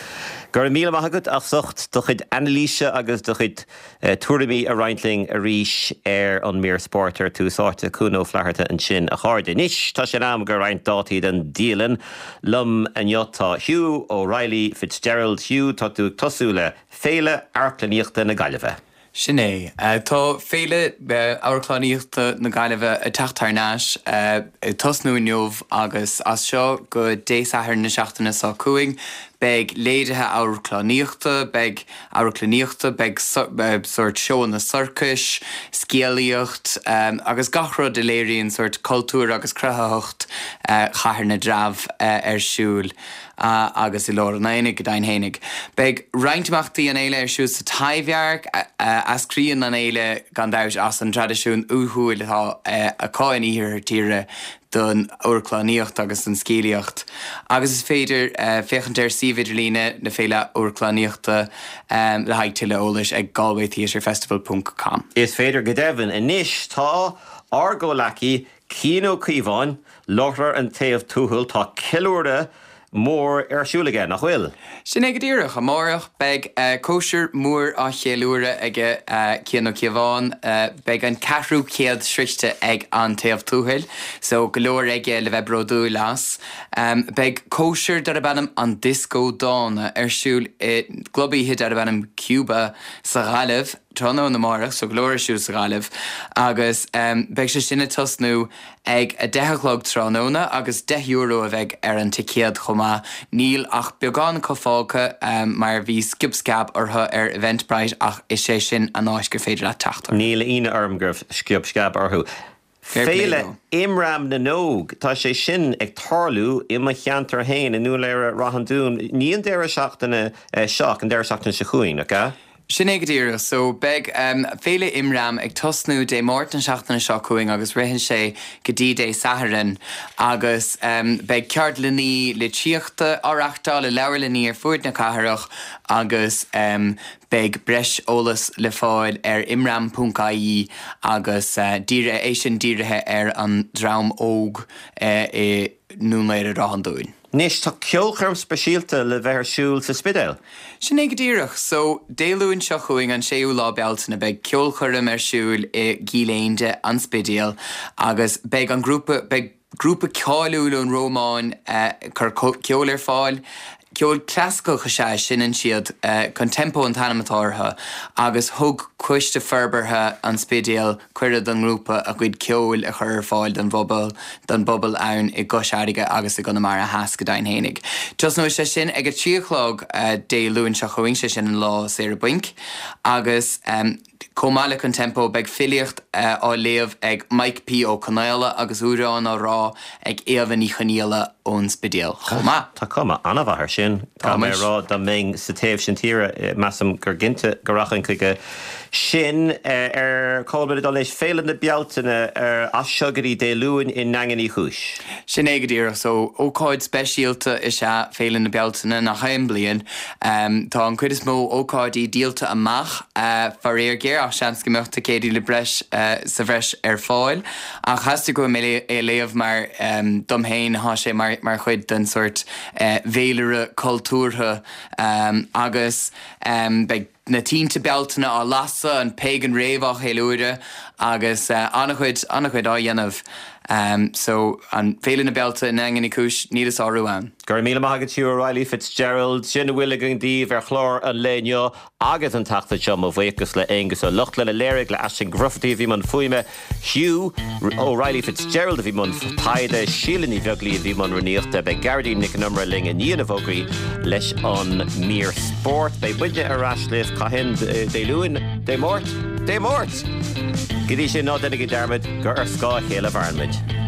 Speaker 1: Go raibh míle maith agat as ucht do chuid anailíse agus do chuid tuairimí a roinnt linn arís ar an mír spóirt ar Tús Áite. Cuan Ó Flatharta ansin, a chairde. Anois, tá sé in am do roinnt dátaí den dialann. Liom inniu tá Hugh O'Reilly Fitzgerald. Hugh, tá tú ag tosú le Féile Amharclannaíochta na Gaillimhe.
Speaker 8: Sin é. Tá Féile Amharclannaíochta na Gaillimhe ag teacht thar n-ais, ag tosnú inniu agus as seo go Dé Sathairn na seachtaine seo chugainn beidh léirithe amharclannaíochta, beidh amharclannaíochta, beidh sórt seóanna sorcais, scéalaíocht agus gach rud a léiríonn sórt cultúr agus cruthaitheacht Chathair na dTreabh ar siúl. agus i lár an aonaigh, go deimhin fhéinig. Beidh roinnt imeachtaí an fhéile ar siúl sa Taibhdhearc. Eascraíonn an fhéile, gan dabht, as an traidisiún uathúil atá acu in iarthar tíre don amharclannaíocht agus don scéalaíocht. Agus is féidir féachaint ar suíomh idirlíne na Féile Amharclannaíochta le haghaidh tuilleadh eolais ag galwaytheatrefestival ponc com.
Speaker 1: Is féidir go deimhin. Anois tá ár gcomhleacaí Cian Ó Cíobháin, láithreoir An Taobh Tuathail, tá ceiliúradh. mór ar siúl aige, nach bhfuil?
Speaker 8: Sin é go díreach. Amárach beidh cóisir mhór á cheiliúradh aige Cian Ó Cíobháin. Beidh an ceathrú céad sroichte ag An Taobh Tuathail, so go leor aige le bheith bródúil as. Beidh cóisir darb ainm An Dioscó Dána ar siúl i gclub oíche darb ainm Cuba sa Ghaillimh tráthnóna amárach, so go leor ar siúl sa Ghaillimh agus beidh sé sin ag tosnú ag 10 a chlog tráthnóna agus €10 a bheidh ar an ticéad chomh maith. Níl ach beagán acu fágtha mar bhí sciob sceab orthu ar Eventbrite ach is é sin an áit gur féidir leat teacht
Speaker 1: orthu. Níl ionadh orm go raibh sciob sceab orthu.
Speaker 8: Fair play
Speaker 1: Féile
Speaker 8: dó.
Speaker 1: Imram na nÓg, tá sé sin ag tarlú i mo cheantar féin i nDún Laoghaire Rath an Dúin, ní an deireadh seachtaine seo ach an deireadh seachtaine seo chugainn, nach ea?
Speaker 8: Sin é go díreach. So, beidh Féile Imram ag tosnú Dé Máirt na seachtaine seo chugainn agus ritheann sé go dtí Dé Sathairn agus beidh ceardlannaí litríochta á reachtáil i leabharlannaí ar fuaid na cathrach agus beidh breis eolas le fáil ar imram.ie agus dírithe, é sin dírithe ar an dream óg i nDún Laoghaire Ráth an Dúin.
Speaker 1: Anois, tá ceolchoirm speisialta le bheith ar siúl sa Spidéal.
Speaker 8: Sin é go díreach. So, Dé Luain seo chugainn, an séú lá Bealtaine, beidh ceolchoirm ar siúl i gCill Éinde, An Spidéal, agus beidh an grúpa, beidh grúpa cáiliúil ón Rómáin ag cur ceoil ar fáil. Ceol clasaiceach is ea a seinneann siad, Contempo an t-ainm atá orthu, agus thug Coiste Forbartha an Spidéil cuireadh don ngrúpa a gcuid ceoil a chur ar fáil don bpobal don bpobal ann i gCois Fharraige agus i gConamara Theas go deimhin fhéinig. Tosnóidh sé sin ag a 3 a chlog Dé Luain seo chugainn, sé sin an lá saoire bainc, agus chomh maith le Contempo beidh filíocht á léamh ag Mike P. Ó Conaola agus amhráin á rá ag Éabha Ní Chonaola ón Spidéal chomh maith.
Speaker 1: Tá cuma an-mhaith air sin. Caithfidh mé a rá, dá mbeinn sa taobh sin tíre, measaim gur cinnte go rachainn chuige sin. Ar cá bhfuil muid ag dul anois? Féile na Bealtaine as seo go dtí Dé Luain i nDaingean Uí Chúis.
Speaker 8: Sin é go díreach. So, ócáid speisialta is ea Féile na Bealtaine, nach aon bliain. Tá an chuid is mó ócáidí díolta amach, faraor géar, ach seans go mbeadh ticéidí le breis sa bhreis ar fáil. Ach theastaigh uaim é a léamh mar dom féin thá sé mar chuid den sórt bhféilire cultúrtha agus beidh na tinte Bealtaine á lasadh, an Pagan Rave á cheiliúradh agus an-chuid, an-chuid á dhéanamh. So, an Féile na Bealtaine i nDaingean Uí Chúis, níl a sárú ann.
Speaker 1: Go raibh míle maith agat Hugh O'Reilly Fitzgerald. Sin a bhfuil againn daoibh ar chlár an lae inniu. Agus an tseachtain seo, mo bhuíochas le Aonghus Ó Lochlainn a léirigh, le Aisling Bhrufferty a bhí i mbun fuaime, Hugh O'Reilly Fitzgerald a bhí i mbun taighde, Síle Ní Bheaglaoí a bhí i mbun rúnaíochta. Beidh Gearóidín Nic an Iomaire linn i ndiaidh na bhfógraí leis an mír spóirt. Beidh muidne ar ais libh cathain? Dé Luain? Dé Máirt? Dé Máirt! Go dtí sin, ná déanaigí dearmad gur ar scáth a chéile a mhaireann muid.